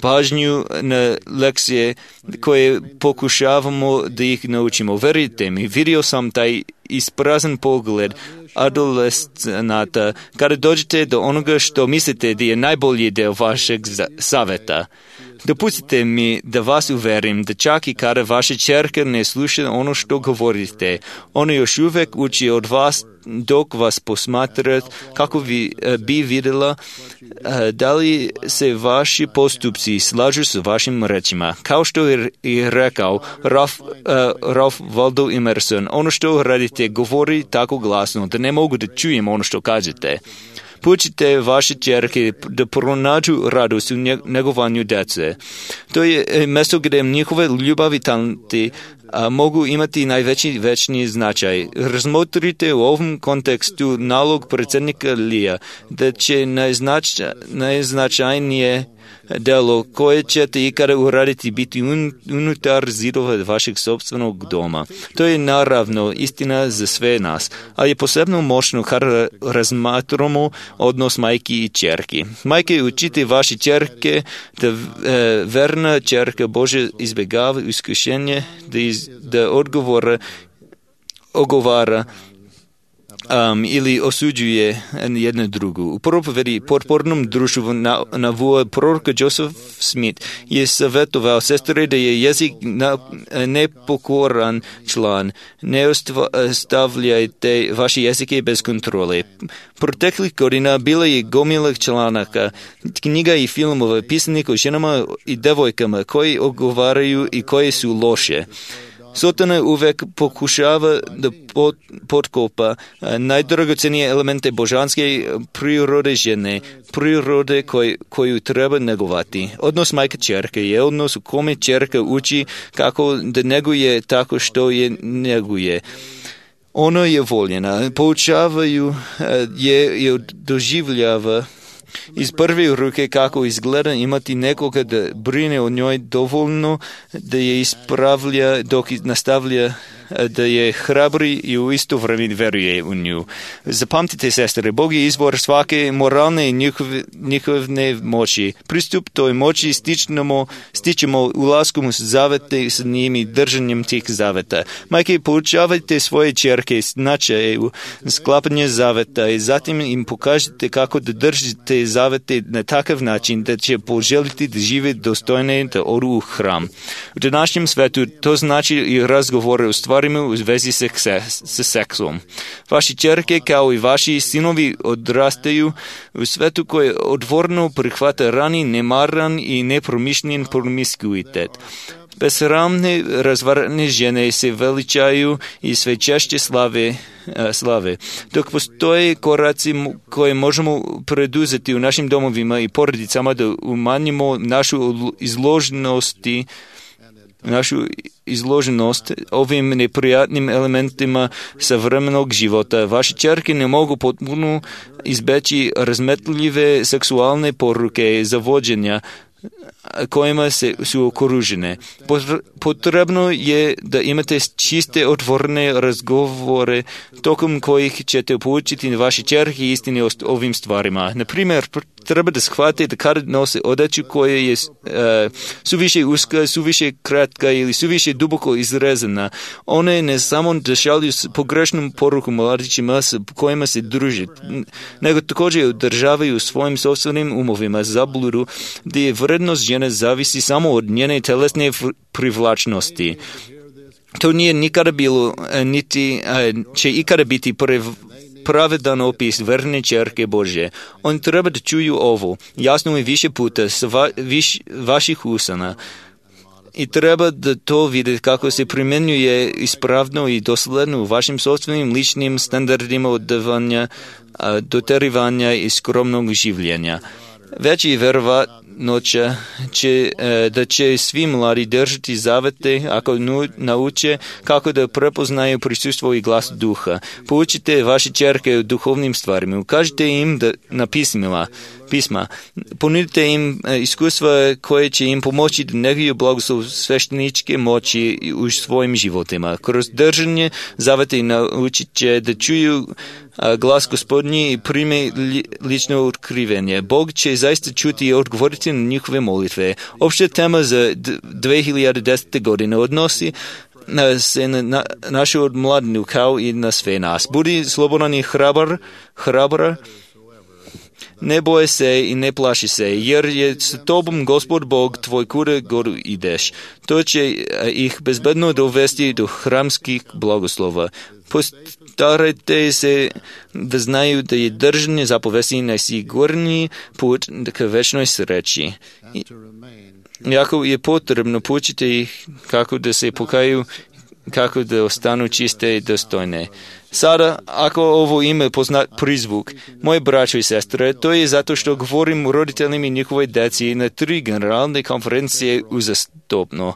pažnju na lekcije koje pokušavamo da ih naučimo. Verujte mi, vidio sam taj isprazan pogled adolescenata kada dođete do onoga što mislite da je najbolji deo vašeg saveta. Dopustite mi da vas uverim da čak i kada vaša ćerka ne sluša ono što govorite, ona još uvek uči od vas dok vas posmatra kako bi vidjela da li se vaši postupci slažu s vašim rečima. Kao što je rekao Ralph Waldo Emerson, ono što radite govori tako glasno da ne mogu da čujem ono što kažete. Poučite vaše ćerke da pronađu radost u negovanju djece. To je mjesto gdje njihove ljubav i talenti mogu imati najveći večni značaj. Razmotrite u ovom kontekstu nalog predsjednika Lija da će najznačajnije delo koje ćete ikada uraditi biti unutar zidova vašeg sopstvenog doma. To je naravno istina za sve nas, ali je posebno moćno kada razmatramo odnos majki i ćerki. Majke, učite vaše ćerke da verna ćerka Bože izbjegava iskušenje, da ogovara ili osuđuje jednu drugu. U propovedi potpornom društvu na proroka Joseph Smith je savjetovao sestre da je jezik nepokoran član. Ne ostavljajte vaše jezike bez kontrole. Proteklih godina bila je gomila članaka, knjiga i filmova pisanih o ženama i devojkama koji ogovaraju i koje su loše. Sotana uvek pokušava da potkopa najdragocenije elemente božanske prirode žene, prirode koju treba negovati. Odnos majka-ćerke je odnos u kome ćerka uči kako da neguje tako što je neguje. Ona je voljena, poučavaju je doživljava iz prve ruke kako izgleda imati nekoga da brine o njoj dovoljno, da je ispravlja dok nastavlja, da je hrabri i u isto vrijeme veruje u nju. Zapamtite, sestre, Bog je izvor svake moralne i njihove moći. Pristup toj moći stičemo ulaskom u zavete s njim i držanjem tih zaveta. Majke, poučavajte svoje ćerke značaju sklapanje zaveta i zatim im pokažite kako da držite zavete na takav način da će poželiti da žive dostojne da odu u hram. U današnjem svetu to znači i razgovore u stvarima u vezi sa seksom. Vaši ćerke kao i vaši sinovi odrastaju u svetu koje odvorno prihvata rani, nemaran i nepromišljen promiskuitet. Besramne razvarane žene se veličaju i sve češće slave. Dok postoje koraci koje možemo preduzeti u našim domovima i porodicama da umanjimo našu izloženost ovim neprijatnim elementima savremenog života. Vaše ćerke ne mogu potpuno izbeći razmetljive seksualne poruke zavođenja kojima su okružene. Potrebno je da imate čiste, otvorene razgovore tokom kojih ćete poučiti vaše ćerke istine o ovim stvarima. Na primjer, treba da shvatite da kada nose odeću koja je suviše uska, suviše kratka ili suviše duboko izrezana, one ne samo da šalju pogrešnu poruku mladićima s kojima se druži, nego također održavaju svojim sobstvenim umovima zabludu da je vrednost žene zavisi samo od njene telesne privlačnosti. To nije nikada bilo, niti će ikada biti pravedan opis verne ćerke Božje. On treba da čuju ovo, jasno i više puta s vaših usana. I treba da to vidjeti kako se primjenjuje ispravno i dosledno u vašim sobstvenim ličnim standardima odavanja, doterivanja i skromnog življenja. Već je verovatnoća da će svi mladi držati zavete ako nauče kako da prepoznaju prisustvo i glas duha. Poučite vaše ćerke u duhovnim stvarima. Ukažite im na pisma. Ponudite im iskustva koje će im pomoći da neguju blagoslov svešteničke moći u svojim životima. Kroz držanje zavete naučit će da čuju glas Gospodnji i prime lično otkrivenje. Bog će zaista čuti i odgovoriti na njihove molitve. Opća tema za 2010. godine odnosi se na našu odmladinu kao i na sve nas. Budi slobodan i hrabar, ne boje se i ne plaši se, jer je s tobom Gospod Bog tvoj kuda god ideš. To će ih bezbedno dovesti do hramskih blagoslova. Postarajte se da znaju da je držanje zapovesti najsigurniji put ka večnoj sreći. Jako je potrebno poučiti ih kako da se pokaju, kako da ostanu čiste i dostojne. Sada, ako ovo ime poznat prizvuk, moje braćo i sestre, to je zato što govorim o roditeljima i njihove djeci na 3 generalne konferencije uzastopno.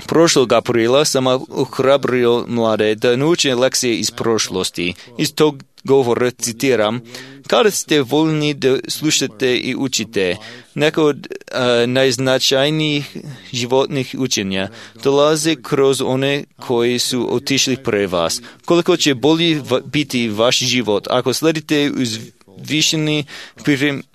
Prošlog aprila sam ohrabrio mlade da nauče lekcije iz prošlosti. Iz tog govora, citiram, kada ste voljni da slušate i učite, neka od najznačajnijih životnih učenja dolaze kroz one koji su otišli pre vas. Koliko će bolji biti vaš život ako sledite uzvišeni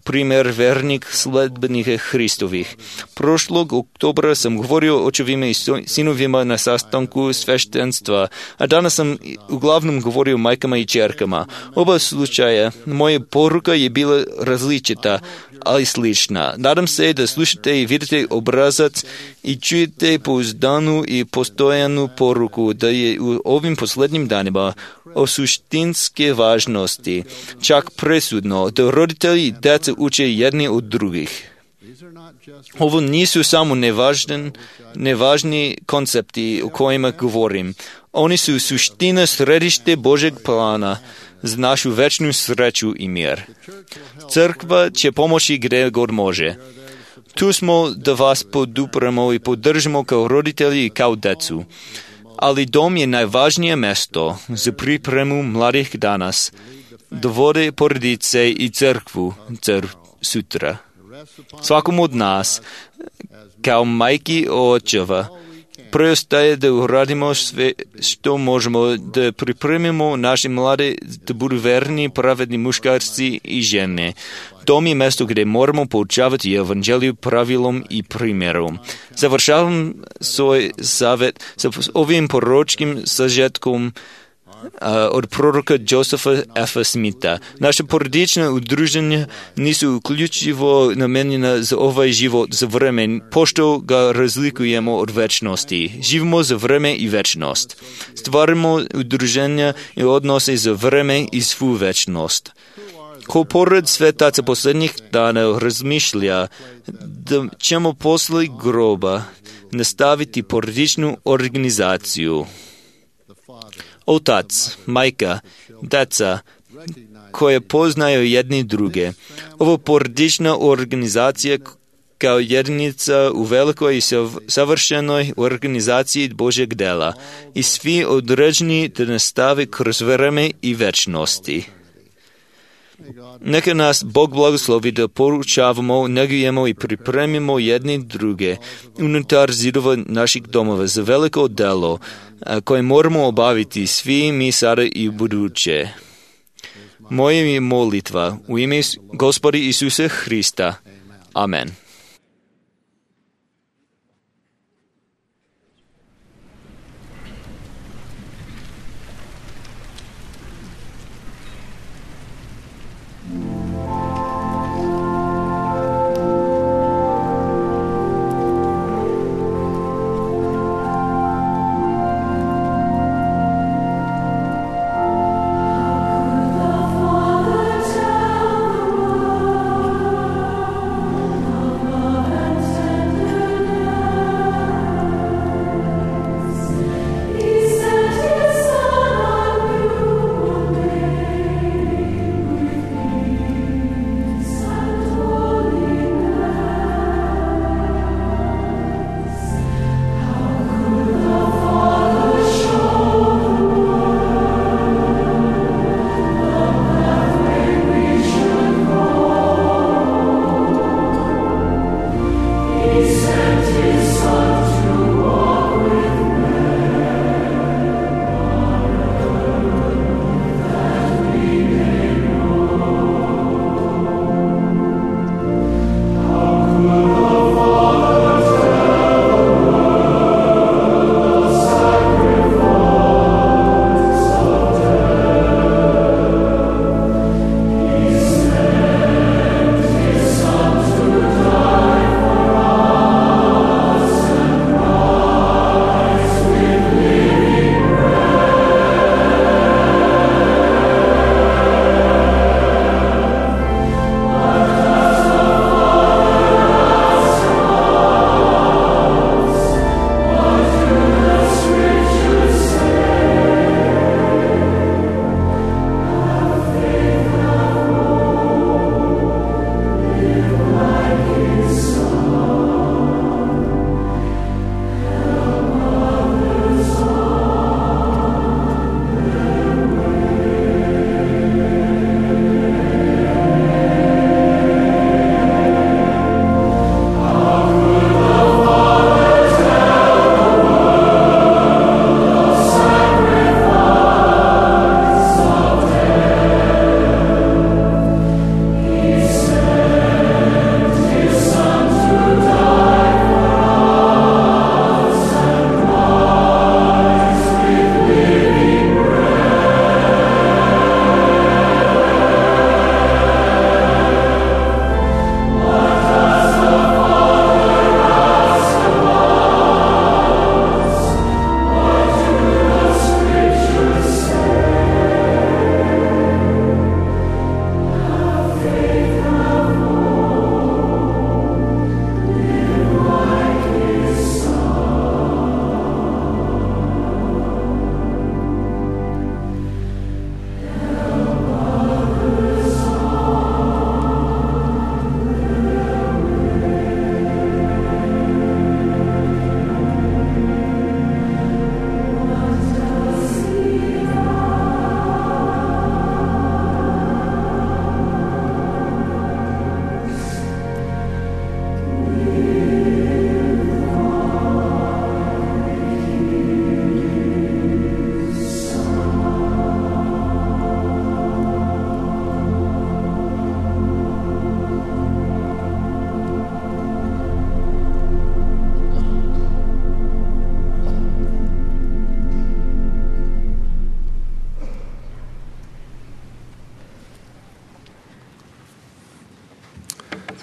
primjer vernik sledbenika Hristovih. Prošlog oktobra sam govorio o očevima i sinovima na sastanku sveštenstva, a danas sam uglavnom govorio o majkama i čerkama. Oba slučaja, moja poruka je bila različita, ali slična. Nadam se da slušate i vidite obrazac i čujete pouzdanu i postojanu poruku da je u ovim posljednjim danima o suštinske važnosti, čak presudno, da roditelji i djeca uče jedni od drugih. Ovo nisu samo nevažni koncepti o kojima govorim. Oni su suština središte Božeg plana za našu večnu sreću i mir. Crkva će pomoći gdje god može. Tu smo da vas podupremo i podržimo kao roditelji i kao decu. Ali dom je najvažnije mesto za pripremu mladih danas, da vode porodice i crkvu sutra. Svakom od nas, kao majki i očeva, preostaje da uradimo sve što možemo, da pripremimo naše mlade da budu verni, pravedni muškarci i žene. Dom je mesto gdje moramo poučavati evanđeliju pravilom i primjerom. Završavam svoj savjet sa ovim proročkim sažetkom od proroka Josepha F. Smitha. Naše porodične udruženja nisu uključivo namenjena za ovaj život za vreme, pošto ga razlikujemo od večnosti. Živimo za vreme i večnost. Stvarimo udruženja i odnose za vreme i svu večnost. Ko pored svetaca posljednjih dana razmišlja da ćemo posle groba nastaviti porodičnu organizaciju. Otac, majka, deca, koje poznaju jedni druge. Ovo porodična organizacija kao jedinica u velikoj i savršenoj organizaciji Božeg dela i svi određeni da nastave kroz vreme i večnosti. Neka nas Bog blagoslovi da poručavamo, negujemo i pripremimo jedni druge unutar zidova naših domova za veliko delo koje moramo obaviti svi mi sada i u buduće. Moja je molitva u ime Gospoda Isusa Hrista. Amen.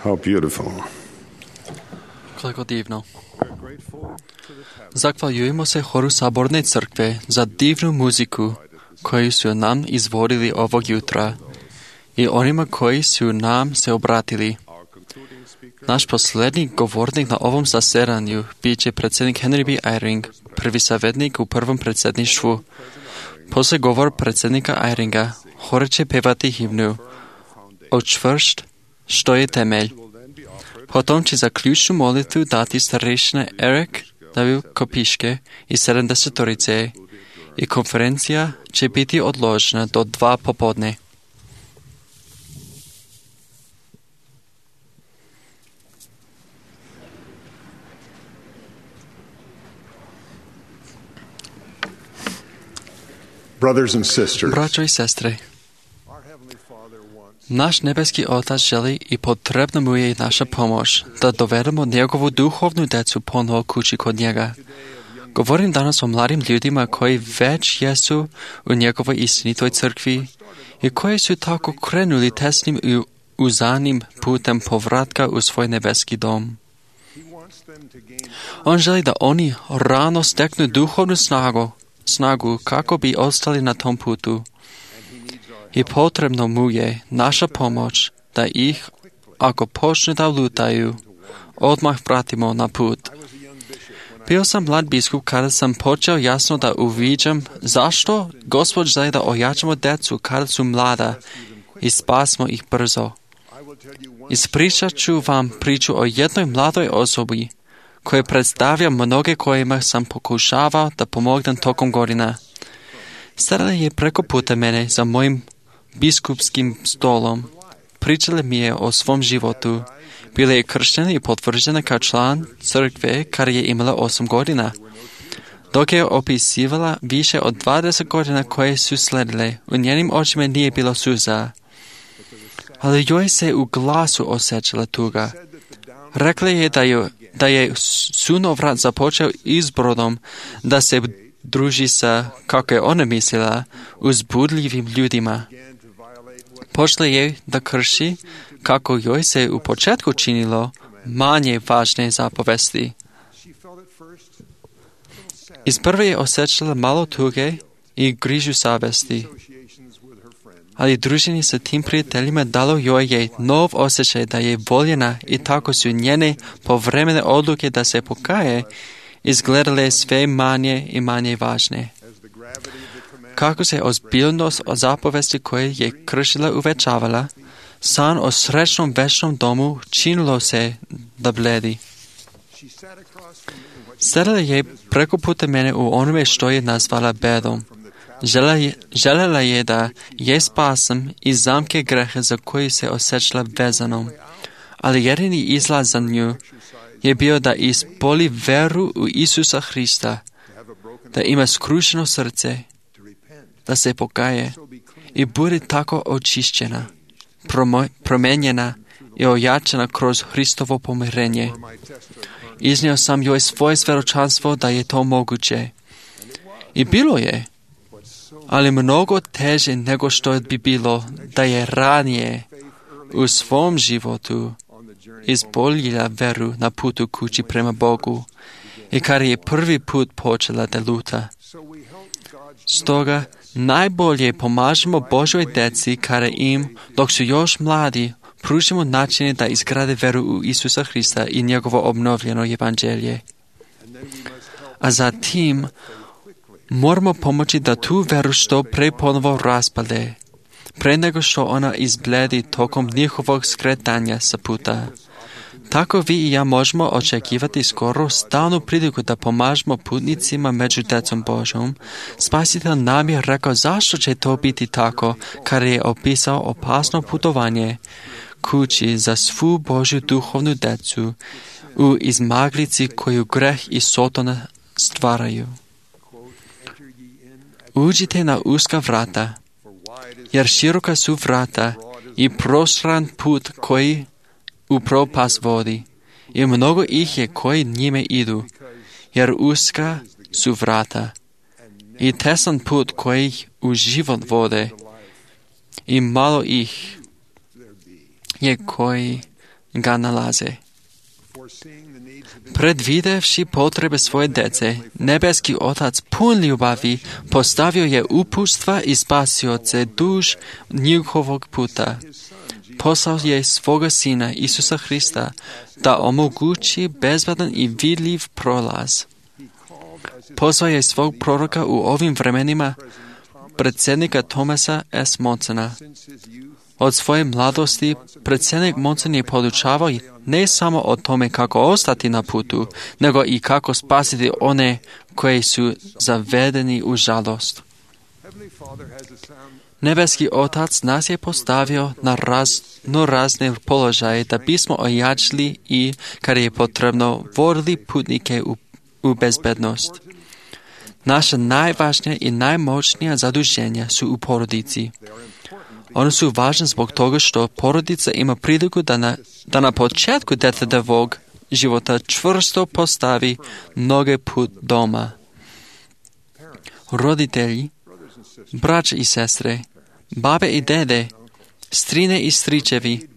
How beautiful. Koliko divno. Zahvaljujemo se horu Saborne crkve za divnu muziku koju su nam izvodili ovog jutra i onima koji su nam se obratili. Naš posljednji govornik na ovom zasedanju bit će predsjednik Henry B. Eyring, prvi savjetnik u prvom predsjedništvu. Poslije govor predsjednika Eyringa, hor će pevati himnu O čvrst, što je temelj. Potom će za ključnu molitvu dati starešina Eric W. Kopiške i 70-torice i konferencija će biti odložena do 2 popodne. Braćo i sestre, naš nebeski Otac želi i potrebna mu je naša pomoć da dovedemo njegovu duhovnu djecu ponovo kući kod njega. Govorim danas o mladim ljudima koji već jesu u njegovoj istinitoj crkvi i koji su tako krenuli tesnim i uzanim putem povratka u svoj nebeski dom. On želi da oni rano steknu duhovnu snagu kako bi ostali na tom putu. I potrebno mu je naša pomoć da ih, ako počne da lutaju, odmah vratimo na put. Bio sam mlad biskup kada sam počeo jasno da uviđam zašto Gospod želi da ojačamo djecu kada su mlada i spasimo ih brzo. Ispričat ću vam priču o jednoj mladoj osobi koja predstavlja mnoge kojima sam pokušavao da pomognem tokom godina. Stala je preko puta mene za mojim biskupskim stolom. Pričala mi je o svom životu. Bila je krštena i potvrđena kao član crkve kada je imala 8 godina. Dok je opisivala više od 20 godina koje su sledile, u njenim očima nije bilo suza. Ali joj se u glasu osjećala tuga. Rekla je da je sunovrat započeo izbrodom da se druži sa, kako je ona mislila, uzbudljivim ljudima. Počela je da krši, kako joj se u početku činilo, manje važne zapovesti. Isprve je osjećala malo tuge i grižu savesti. Ali druženje sa tim prijateljima dalo joj je nov osjećaj da je voljena i tako su njene povremene odluke da se pokaje izgledale sve manje i manje važne. Kako se ozbiljnost o zapovesti koje je kršila uvećavala, san o srećnom večnom domu činilo se da bledi. Sedala je preko puta mene u onome što je nazvala bedom. Željela je da je spasan iz zamke greha za koji se osjećala vezanom, ali jedini izlaz za nju je bio da ispoli veru u Isusa Hrista, da ima skrušeno srce, da se pokaje i bude tako očišćena, promenjena i ojačana kroz Hristovo pomirenje. Iznio sam joj svoje svjedočanstvo da je to moguće. I bilo je, ali mnogo teže nego što bi bilo da je ranije u svom životu izboljila veru na putu kući prema Bogu i kada je prvi put počela da luta. Stoga najbolje pomažemo Božoj djeci kada im, dok su još mladi, pružimo načine da izgrade veru u Isusa Hrista i njegovo obnovljeno evanđelje. A zatim moramo pomoći da tu veru što pre ponovo raspade, pre nego što ona izbledi tokom njihovog skretanja sa puta. Tako vi i ja možemo očekivati skoro stalnu priliku da pomažemo putnicima među djecom Božom. Spasitelj nam je rekao zašto će to biti tako, kada je opisao opasno putovanje kući za svu Božju duhovnu djecu u izmaglici koju greh i Sotona stvaraju. Uđite na uska vrata, jer široka su vrata i prostran put koji u propast vodi, i mnogo ih je koji njime idu, jer uska su vrata i tesan put koji u život vode, i malo ih je koji ga nalaze. Predvidevši potrebe svoje dece, nebeski Otac pun ljubavi postavio je upustva i spasioce duž njihovog puta. Poslao je svoga Sina Isusa Hrista da omogući bezbedan i vidljiv prolaz. Poslao je svog proroka u ovim vremenima, predsjednika Thomasa S. Monsona. Od svoje mladosti predsjednik Monson je podučavao ne samo o tome kako ostati na putu, nego i kako spasiti one koji su zavedeni u žalost. Nebeski Otac nas je postavio na razne položaje da bismo ojačali i, kada je potrebno, vodili putnike u bezbednost. Naša najvažnija i najmoćnija zaduženja su u porodici. One su važne zbog toga što porodica ima priliku da na početku djetetovog života čvrsto postavi noge put doma. Roditelji, braće i sestre, babe i dede, strine i stričevi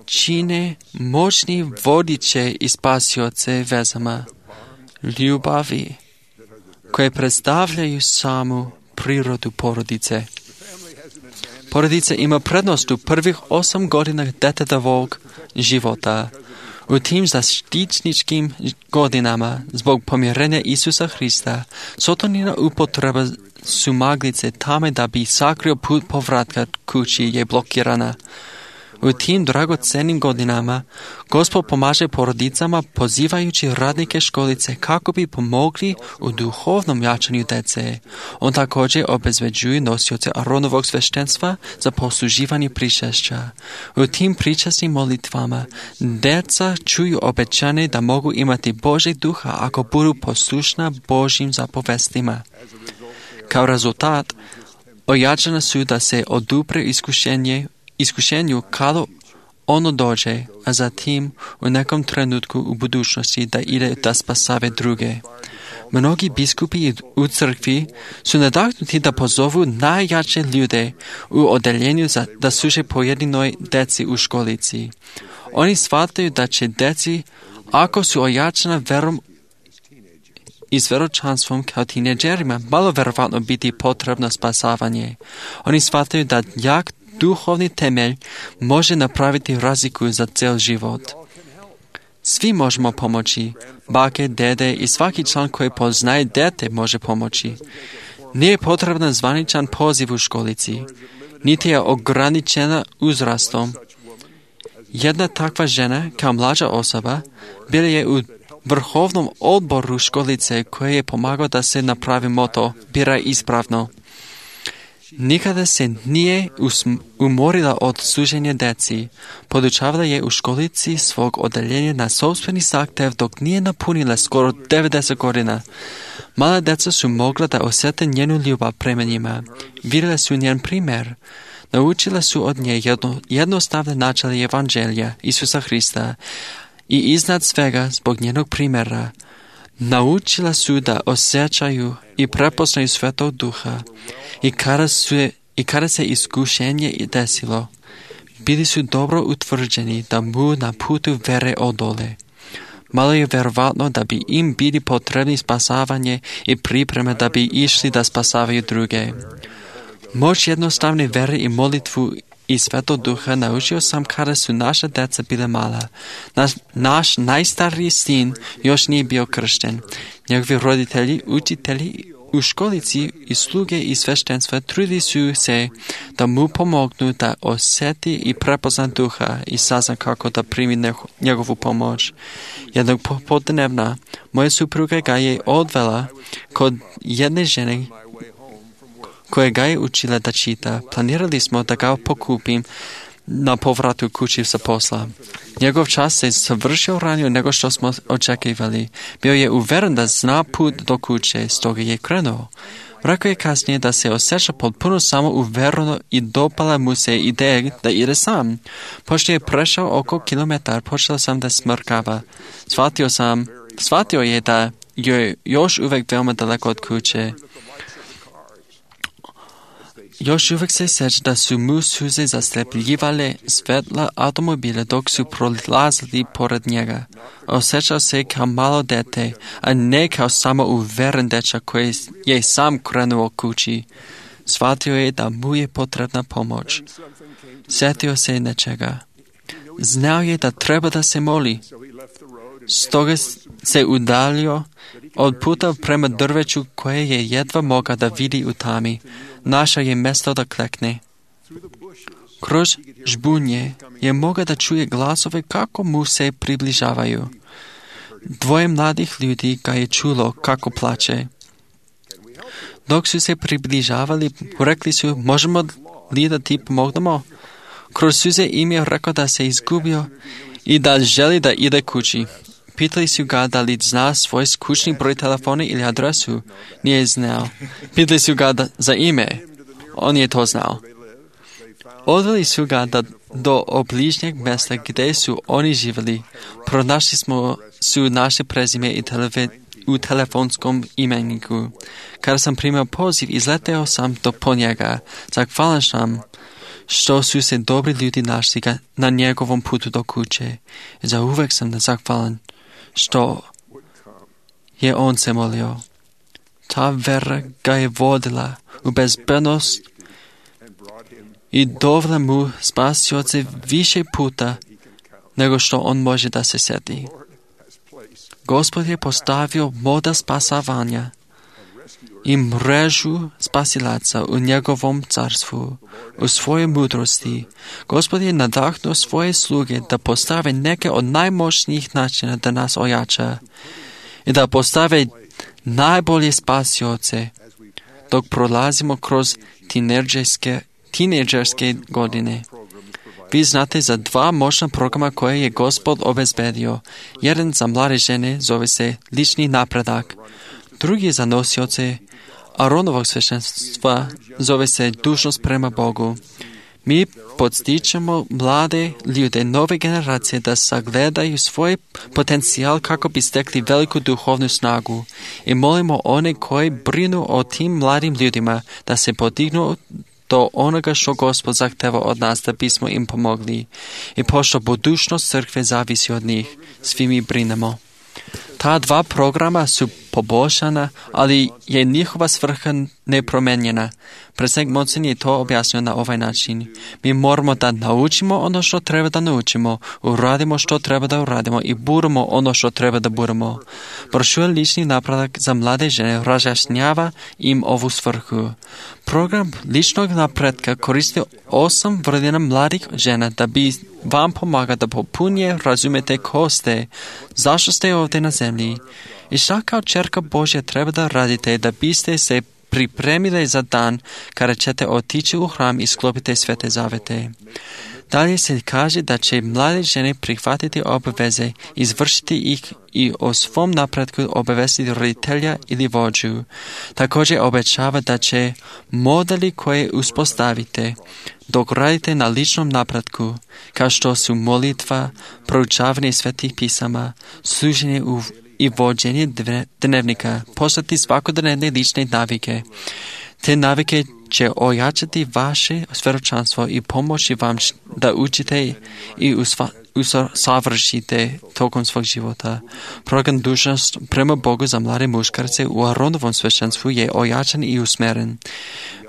čine moćni vodiče i spasioce vezama ljubavi koje predstavljaju samu prirodu porodice. Porodica ima prednost u prvih 8 godina djetetovog života. U tim zaštitničkim godinama, zbog pomirenja Isusa Hrista, Sotonina upotreba sumaglice tame da bi sakrio put povratka kući je blokirana. U tim dragocenim godinama Gospod pomaže porodicama pozivajući radnike školice kako bi pomogli u duhovnom jačanju dece. On također obezbeđuje nosioce Aronovog sveštenstva za posluživanje pričešća. U tim pričasnim molitvama deca čuju obećanje da mogu imati Božeg duha ako budu poslušna Božjim zapovestima. Kao rezultat, ojačana su da se odupre iskušenju kada ono dođe, a zatim u nekom trenutku u budućnosti da ide da spasave druge. Mnogi biskupi u crkvi su nadahnuti da pozovu najjače ljude u odeljenju da služe pojedinoj deci u školici. Oni shvataju da će deci, ako su ojačana verom i s veročanstvom kao tineđerima, malo verovatno biti potrebno spasavanje. Oni shvataju da jak duhovni temelj može napraviti razliku za cijel život. Svi možemo pomoći. Bake, dede i svaki član koji poznaje dete može pomoći. Nije potreban zvaničan poziv u školici, niti je ograničena uzrastom. Jedna takva žena, kao mlađa osoba, bila je u vrhovnom odboru školice koji je pomagao da se napravi moto "Biraj ispravno". Nikada se nije umorila od služenja deci. Podučavala je u školici svog odeljenja na sopstveni zahtjev dok nije napunila skoro 90 godina. Mala deca su mogla da osjete njenu ljubav prema njima. Vidjela su njen primjer. Naučila su od nje jednostavne načela evanđelja Isusa Hrista i iznad svega zbog njenog primjera naučila su da osjećaju i prepoznaju Svetog Duha i kada se iskušenje desilo, bili su dobro utvrđeni da mu na putu vere odole. Malo je verovatno da bi im bili potrebni spasavanje i pripreme da bi išli da spasavaju druge. Moć jednostavne vere i molitvu i Svetog Duha naučio sam kada su naša deca bile mala. Naš najstariji sin još nije bio kršten. Njegovi roditelji, učitelji u školici i sluge i sveštenstva trudili su se da mu pomognu da osjeti i prepozna Duha i sazna kako da primi njegovu pomoć. Jednog popodnevna moja supruga ga je odvela kod jedne žene koja ga je učila da čita. Planirali smo da ga pokupim na povratu kući sa posla. Njegov čas se završio ranije nego što smo očekivali. Bio je uveren da zna put do kuće, stoga je krenuo. Rekao je kasnije da se osjeća potpuno samo uvereno i dopala mu se ideja da ide sam. Pošto je prešao oko kilometar, počela sam da smrkava. Shvatio je da je još uvijek veoma daleko od kuće. još uvijek se sjeća da su mu suze zaslepljivale svetla automobile dok su prolazili pored njega. Osjećao se kao malo dete, a ne kao samo uveren dečak koji je sam krenuo kući. Shvatio je da mu je potrebna pomoć. Sjetio se nečega. Znao je da treba da se moli. Stoga se udaljio od puta prema drveću koje je jedva mogao da vidi u tami. Našao je mjesto da klekne. Kroz žbunje je mogao da čuje glasove kako mu se približavaju. Dvoje mladih ljudi ga je čulo kako plače. Dok su se približavali, rekli su, možemo li da ti pomognemo? Kroz suze im je rekao da se izgubio i da želi da ide kući. Pitali su ga da li zna svoj kućni broj telefona ili adresu. Nije znao. Pitali su ga za ime. On je to znao. Odveli su ga do obližnjeg mjesta gdje su oni živjeli. Pronašli su naše prezime i u telefonskom imeniku. Kada sam primio poziv, izleteo sam po njega. Zahvalan sam što su se dobri ljudi našli na njegovom putu do kuće. Za uvek sam zahvalan što je on se molio. Ta vera ga je vodila u bezbednost i dovela mu spasioce više puta nego što on može da se sjeti. Gospod je postavio model spasavanja i mrežu spasilaca u njegovom carstvu, u svojoj mudrosti. Gospod je nadahnuo svoje sluge da postave neke od najmoćnijih načina da nas ojača i da postave najbolje spasioce dok prolazimo kroz tinejdžerske godine. Vi znate za dva moćna programa koje je Gospod obezbedio. Jedan za mlade žene zove se lični napredak, drugi za nosioce Aronovog sveštenstva zove se dužnost prema Bogu. Mi podstičemo mlade ljude nove generacije da sagledaju svoj potencijal kako bi stekli veliku duhovnu snagu i molimo one koji brinu o tim mladim ljudima da se podignu do onoga što Gospod zahteva od nas da bismo im pomogli. I pošto budućnost crkve zavisi od njih, svi mi brinemo. Ta dva programa su poboljšana, ali je njihova svrha nepromenjena. Predsjednik Monsen je to objasnio na ovaj način. Mi moramo da naučimo ono što treba da naučimo, uradimo što treba da uradimo i budemo ono što treba da budemo. Brošura lični napredak za mlade žene razjašnjava im ovu svrhu. Program ličnog napretka koristi 8 vrlina mladih žena da bi vam pomaga da popunije razumete ko ste, zašto ste ovdje na zemlji i šta kao čerka Božja treba da radite da biste se pripremili za dan kada ćete otići u hram i sklopiti svete zavete. Dalje se kaže da će mlade žene prihvatiti obaveze, izvršiti ih i o svom napretku obavestiti roditelja ili vođu. Također obećava da će modeli koje uspostavite dok radite na ličnom napretku, kao što su molitva, proučavanje svetih pisama, služenje i vođenje dnevnika, postati svakodnevne lične navike. Te navike će ojačati vaše svjedočanstvo i pomoći vam da učite i usavršite tokom svog života. Program dužnost prema Bogu za mlade muškarce u Aronovom sveštenstvu je ojačan i usmeren.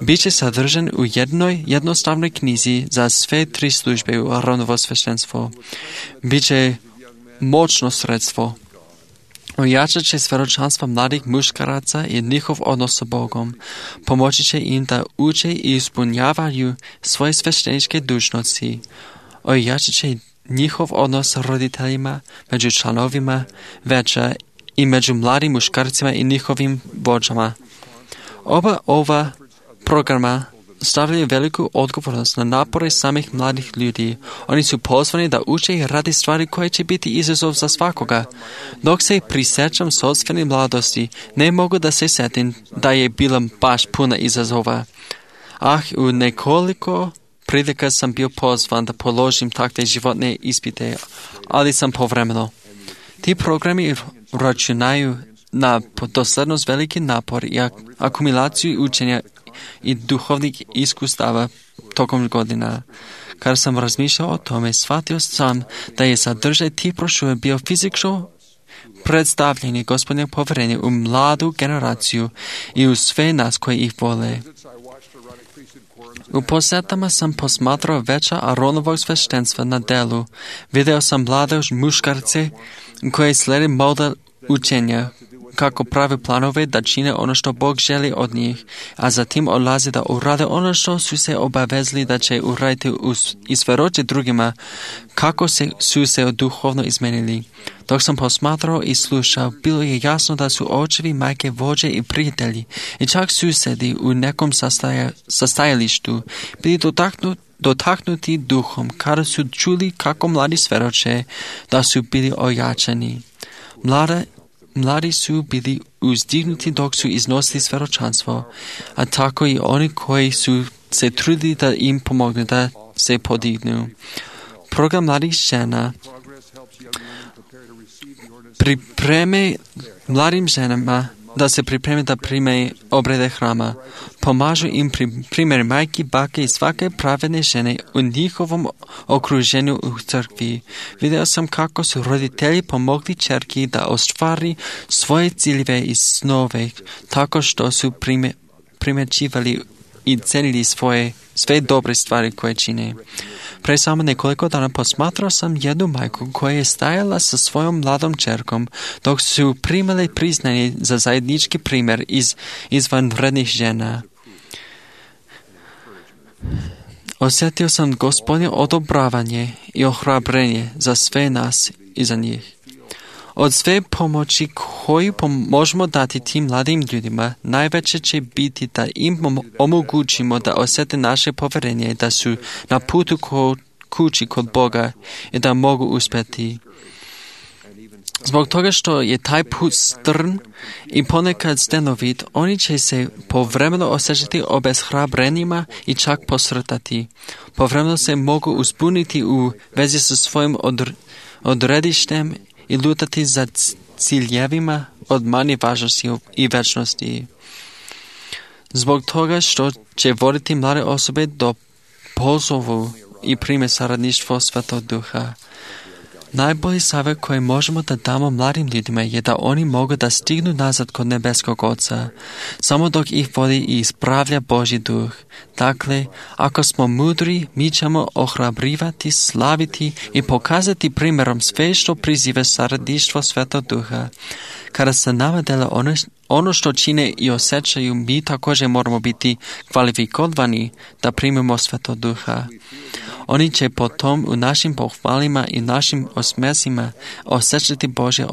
Biće sadržan u jednostavnoj knjizi za sve 3 službe u Aronovo sveštenstvo. Biće moćno sredstvo. Ojačat će svjedočanstva mladih muškaraca i njihov odnos sa Bogom. Pomoći će im da uče i ispunjavaju svoje svešteničke dužnosti. Ojačat će njihov odnos sa roditeljima, među članovima veća i među mladim muškarcima i njihovim vođama. Oba ova programa stavljaju veliku odgovornost na napore samih mladih ljudi. Oni su pozvani da uče i radi stvari koje će biti izazov za svakoga. Dok se prisjećam sopstvene mladosti, ne mogu da se sjetim da je bila baš puna izazova. U nekoliko prilika sam bio pozvan da položim takve životne ispite, ali sam povremeno. Ti programi računaju na doslednost, veliki napor i akumulaciju učenja i duhovnih iskustava tokom godina. Kada sam razmišljao o tome, shvatio sam da je sadržaj tih brošura bio fizičko predstavljanje Gospodnjeg poverenja u mladu generaciju i u sve nas koji ih vole. U posetama sam posmatrao veća Aronovog sveštenstva na delu. Video sam mlade muškarce koji slijede model učenja, kako prave planove da čine ono što Bog želi od njih, a zatim odlaze da urade ono što su se obavezali da će uraditi i svedoče drugima, kako su se duhovno izmenili. Dok sam posmatrao i slušao, bilo je jasno da su očevi, majke, vođe i prijatelji, i čak susedi u nekom sastajalištu bili dotaknuti duhom, kada su čuli kako mladi svedoče da su bili ojačani. Mladi su bili uzdignuti dok su iznosili svjedočanstvo, a tako i oni koji su se trudili da im pomognu da se podignu. Program mladih žena pripreme mladim ženama da se pripreme da prime obrede hrama. Pomažu im primjer majki, bake i svake pravedne žene u njihovom okruženju u crkvi. Video sam kako su roditelji pomogli ćerki da ostvari svoje ciljeve i snove, tako što su primjećivali i cenili sve dobre stvari koje čine. Pre samo nekoliko dana posmatrao sam jednu majku koja je stajala sa svojom mladom ćerkom dok su primali priznanje za zajednički primjer izvanrednih žena. Osjetio sam Gospodnje odobravanje i ohrabrenje za sve nas i za njih. Od sve pomoći koju možemo dati tim mladim ljudima, najveće će biti da im omogućimo da osjete naše povjerenje, da su na putu kući kod Boga i da mogu uspjeti. Zbog toga što je taj put strm i ponekad stenovit, oni će se povremeno osjećati obeshrabrenima i čak posrtati. Povremeno se mogu uzbuniti u vezi sa svojim odredištem i lutati za ciljevima od manje važnosti i večnosti. Zbog toga što će voditi mlade osobe do pozovu i prime saradništvo Svetog Duha. Najbolji savjet koji možemo da damo mladim ljudima je da oni mogu da stignu nazad kod nebeskog Oca, samo dok ih vodi i ispravlja Božji duh. Dakle, ako smo mudri, mi ćemo ohrabrivati, slaviti i pokazati primjerom sve što priziva saradništvo Svetog Duha. Kada se nama dela ono što čine i osjećaju, mi također moramo biti kvalifikovani da primimo Svetog Duha. Oni će potom u našim pohvalima i našim osmesima osjećati Božje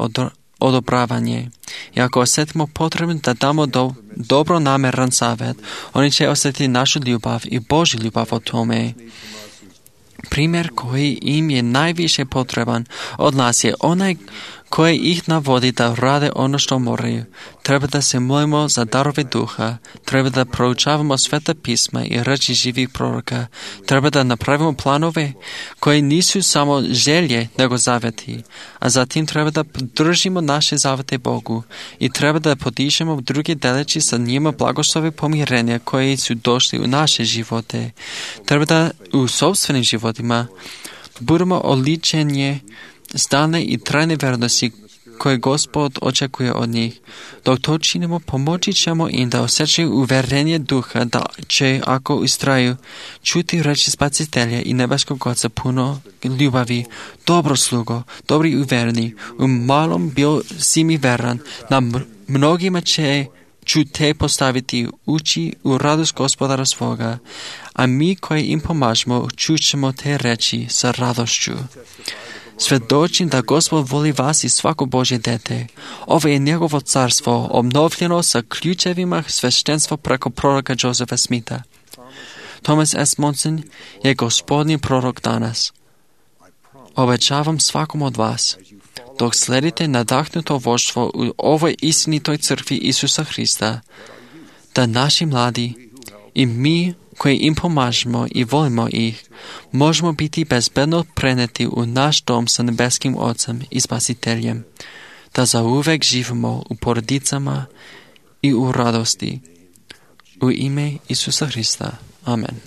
odobravanje. I ako osjetimo potrebu da damo dobro nameran savjet, oni će osjetiti našu ljubav i Božju ljubav o tome. Primjer koji im je najviše potreban od nas je onaj koji ih navodi da rade ono što moraju. Treba da se molimo za darove duha, treba da proučavamo Sveta pisma i reči živih proroka, treba da napravimo planove koji nisu samo želje nego zaveti, a zatim treba da podržimo naše zavete Bogu i treba da podižemo druge deleći sa njima blagoslove pomirenja koji su došli u naše živote. Treba da u sopstvenim životima budemo oličenje stalne i trajne vernosti koje Gospod očekuje od njih. Dok to činimo, pomoći ćemo im da osjećaju uverenje duha da će, ako ustraju, čuti reči Spasitelja i nebeskog Oca puno ljubavi. Dobro slugo, dobri i uvereni, u malom bio si mi veran, na mnogima ću te postaviti uči u radost Gospodara svoga, a mi koji im pomažemo čućemo te reči sa radošću. Svjedočim da Gospod voli vas i svako Božje dete. Ovo je njegovo carstvo, obnovljeno sa ključevima sveštenstva preko proroka Josefa Smitha. Thomas S. Monson je Gospodnji prorok danas. Obećavam svakom od vas, dok sledite nadahnuto vođstvo u ovoj istinitoj crkvi Isusa Hrista, da naši mladi i mi koji im pomažemo i volimo ih, možemo biti bezbedno preneti u naš dom sa nebeskim Ocem i Spasiteljem. da zauvek živimo u porodicama i u radosti. U ime Isusa Hrista. Amen.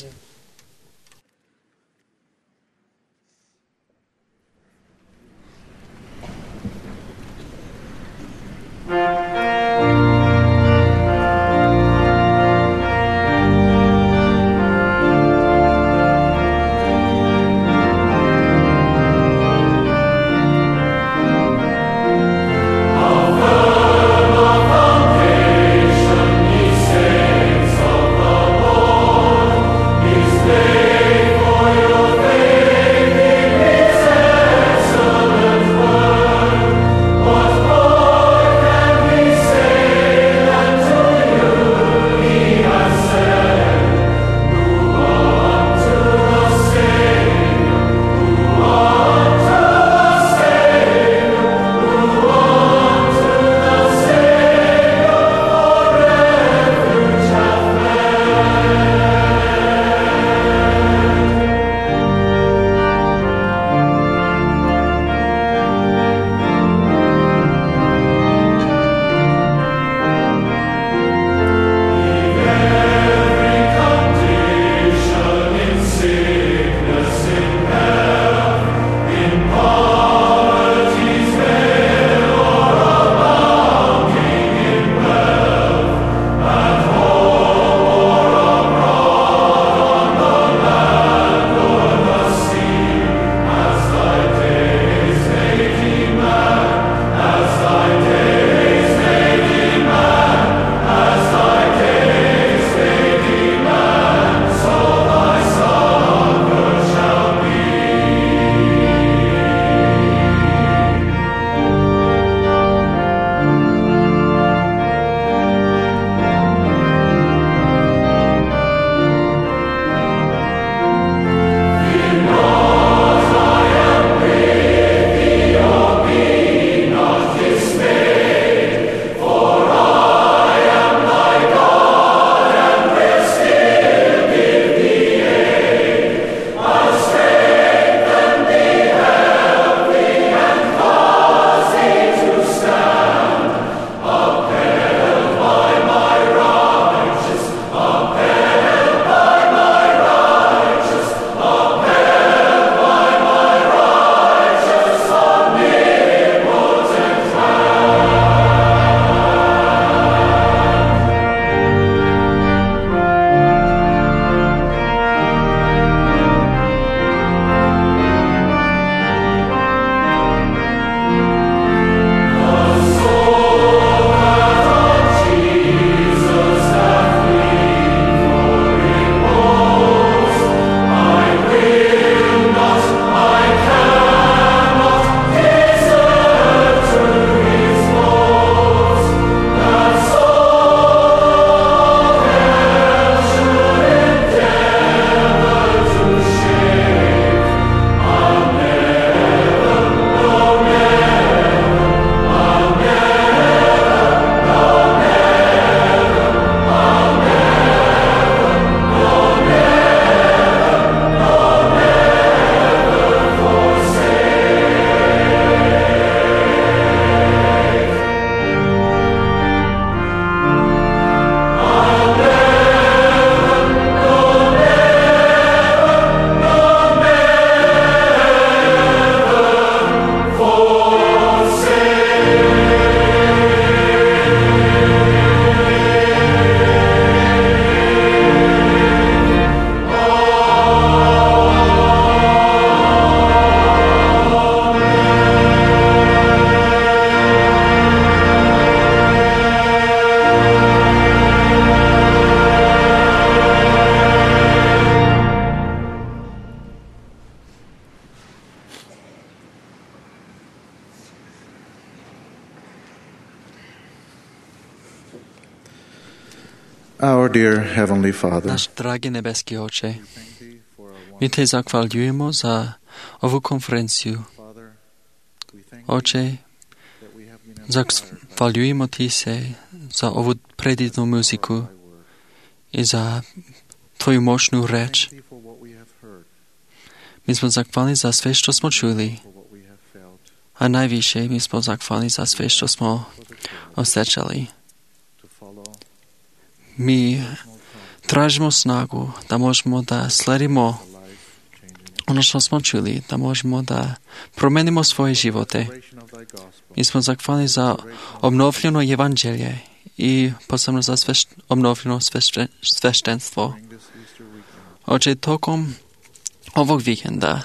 Our dear Heavenly Father, Náš dragi nebeský Oče, my te zahvaľujemo za ovu konferenciu. Oče, zahvaľujemo ti se za ovu predivnú muziku i za tvoju močnú reč. My sme zahvalní za sve, što smo čuli A najviše mi smo zahvalni za sve što smo osjećali. Mi tražimo snagu da možemo da sledimo ono što smo čuli, da možemo da promenimo svoje živote. Mi smo zahvalni za obnovljeno evanđelje i posebno za obnovljeno sveštenstvo. Oče, tokom ovog vikenda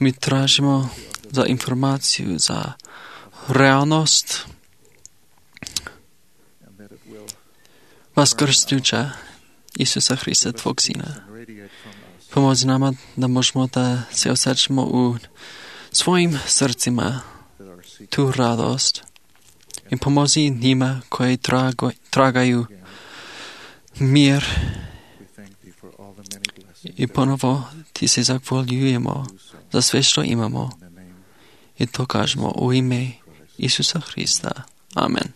mi tražimo za informaciju, za realnost vaskrsnuća Isusa Hrista, Tvog Sina. Pomozi nama da možemo da se osjećamo u svojim srcima tu radost i pomozi njima koji tragaju mir i ponovo ti se zahvaljujemo za sve što imamo i to kažemo u ime Isusa Hrista. Amen.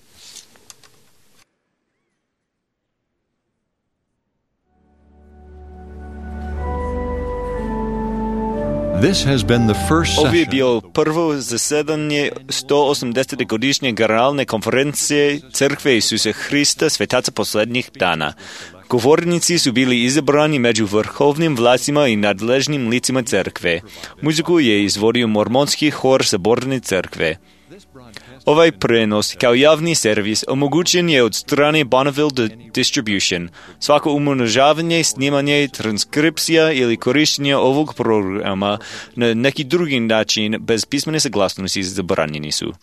This has been the first Ovo je session bio prvo zasedanje 180. godišnje generalne konferencije Crkve Isusa Hrista Svetaca posljednjih dana. Govornici su bili izabrani među vrhovnim vlastima i nadležnim licima crkve. Muziku je izvodio mormonski hor Saborne crkve. Ovaj prenos kao javni servis omogućen je od strane Bonneville Distribution. Svako umnožavanje, snimanje, transkripcija ili korištenje ovog programa na neki drugi način bez pismene saglasnosti zabranjeni su.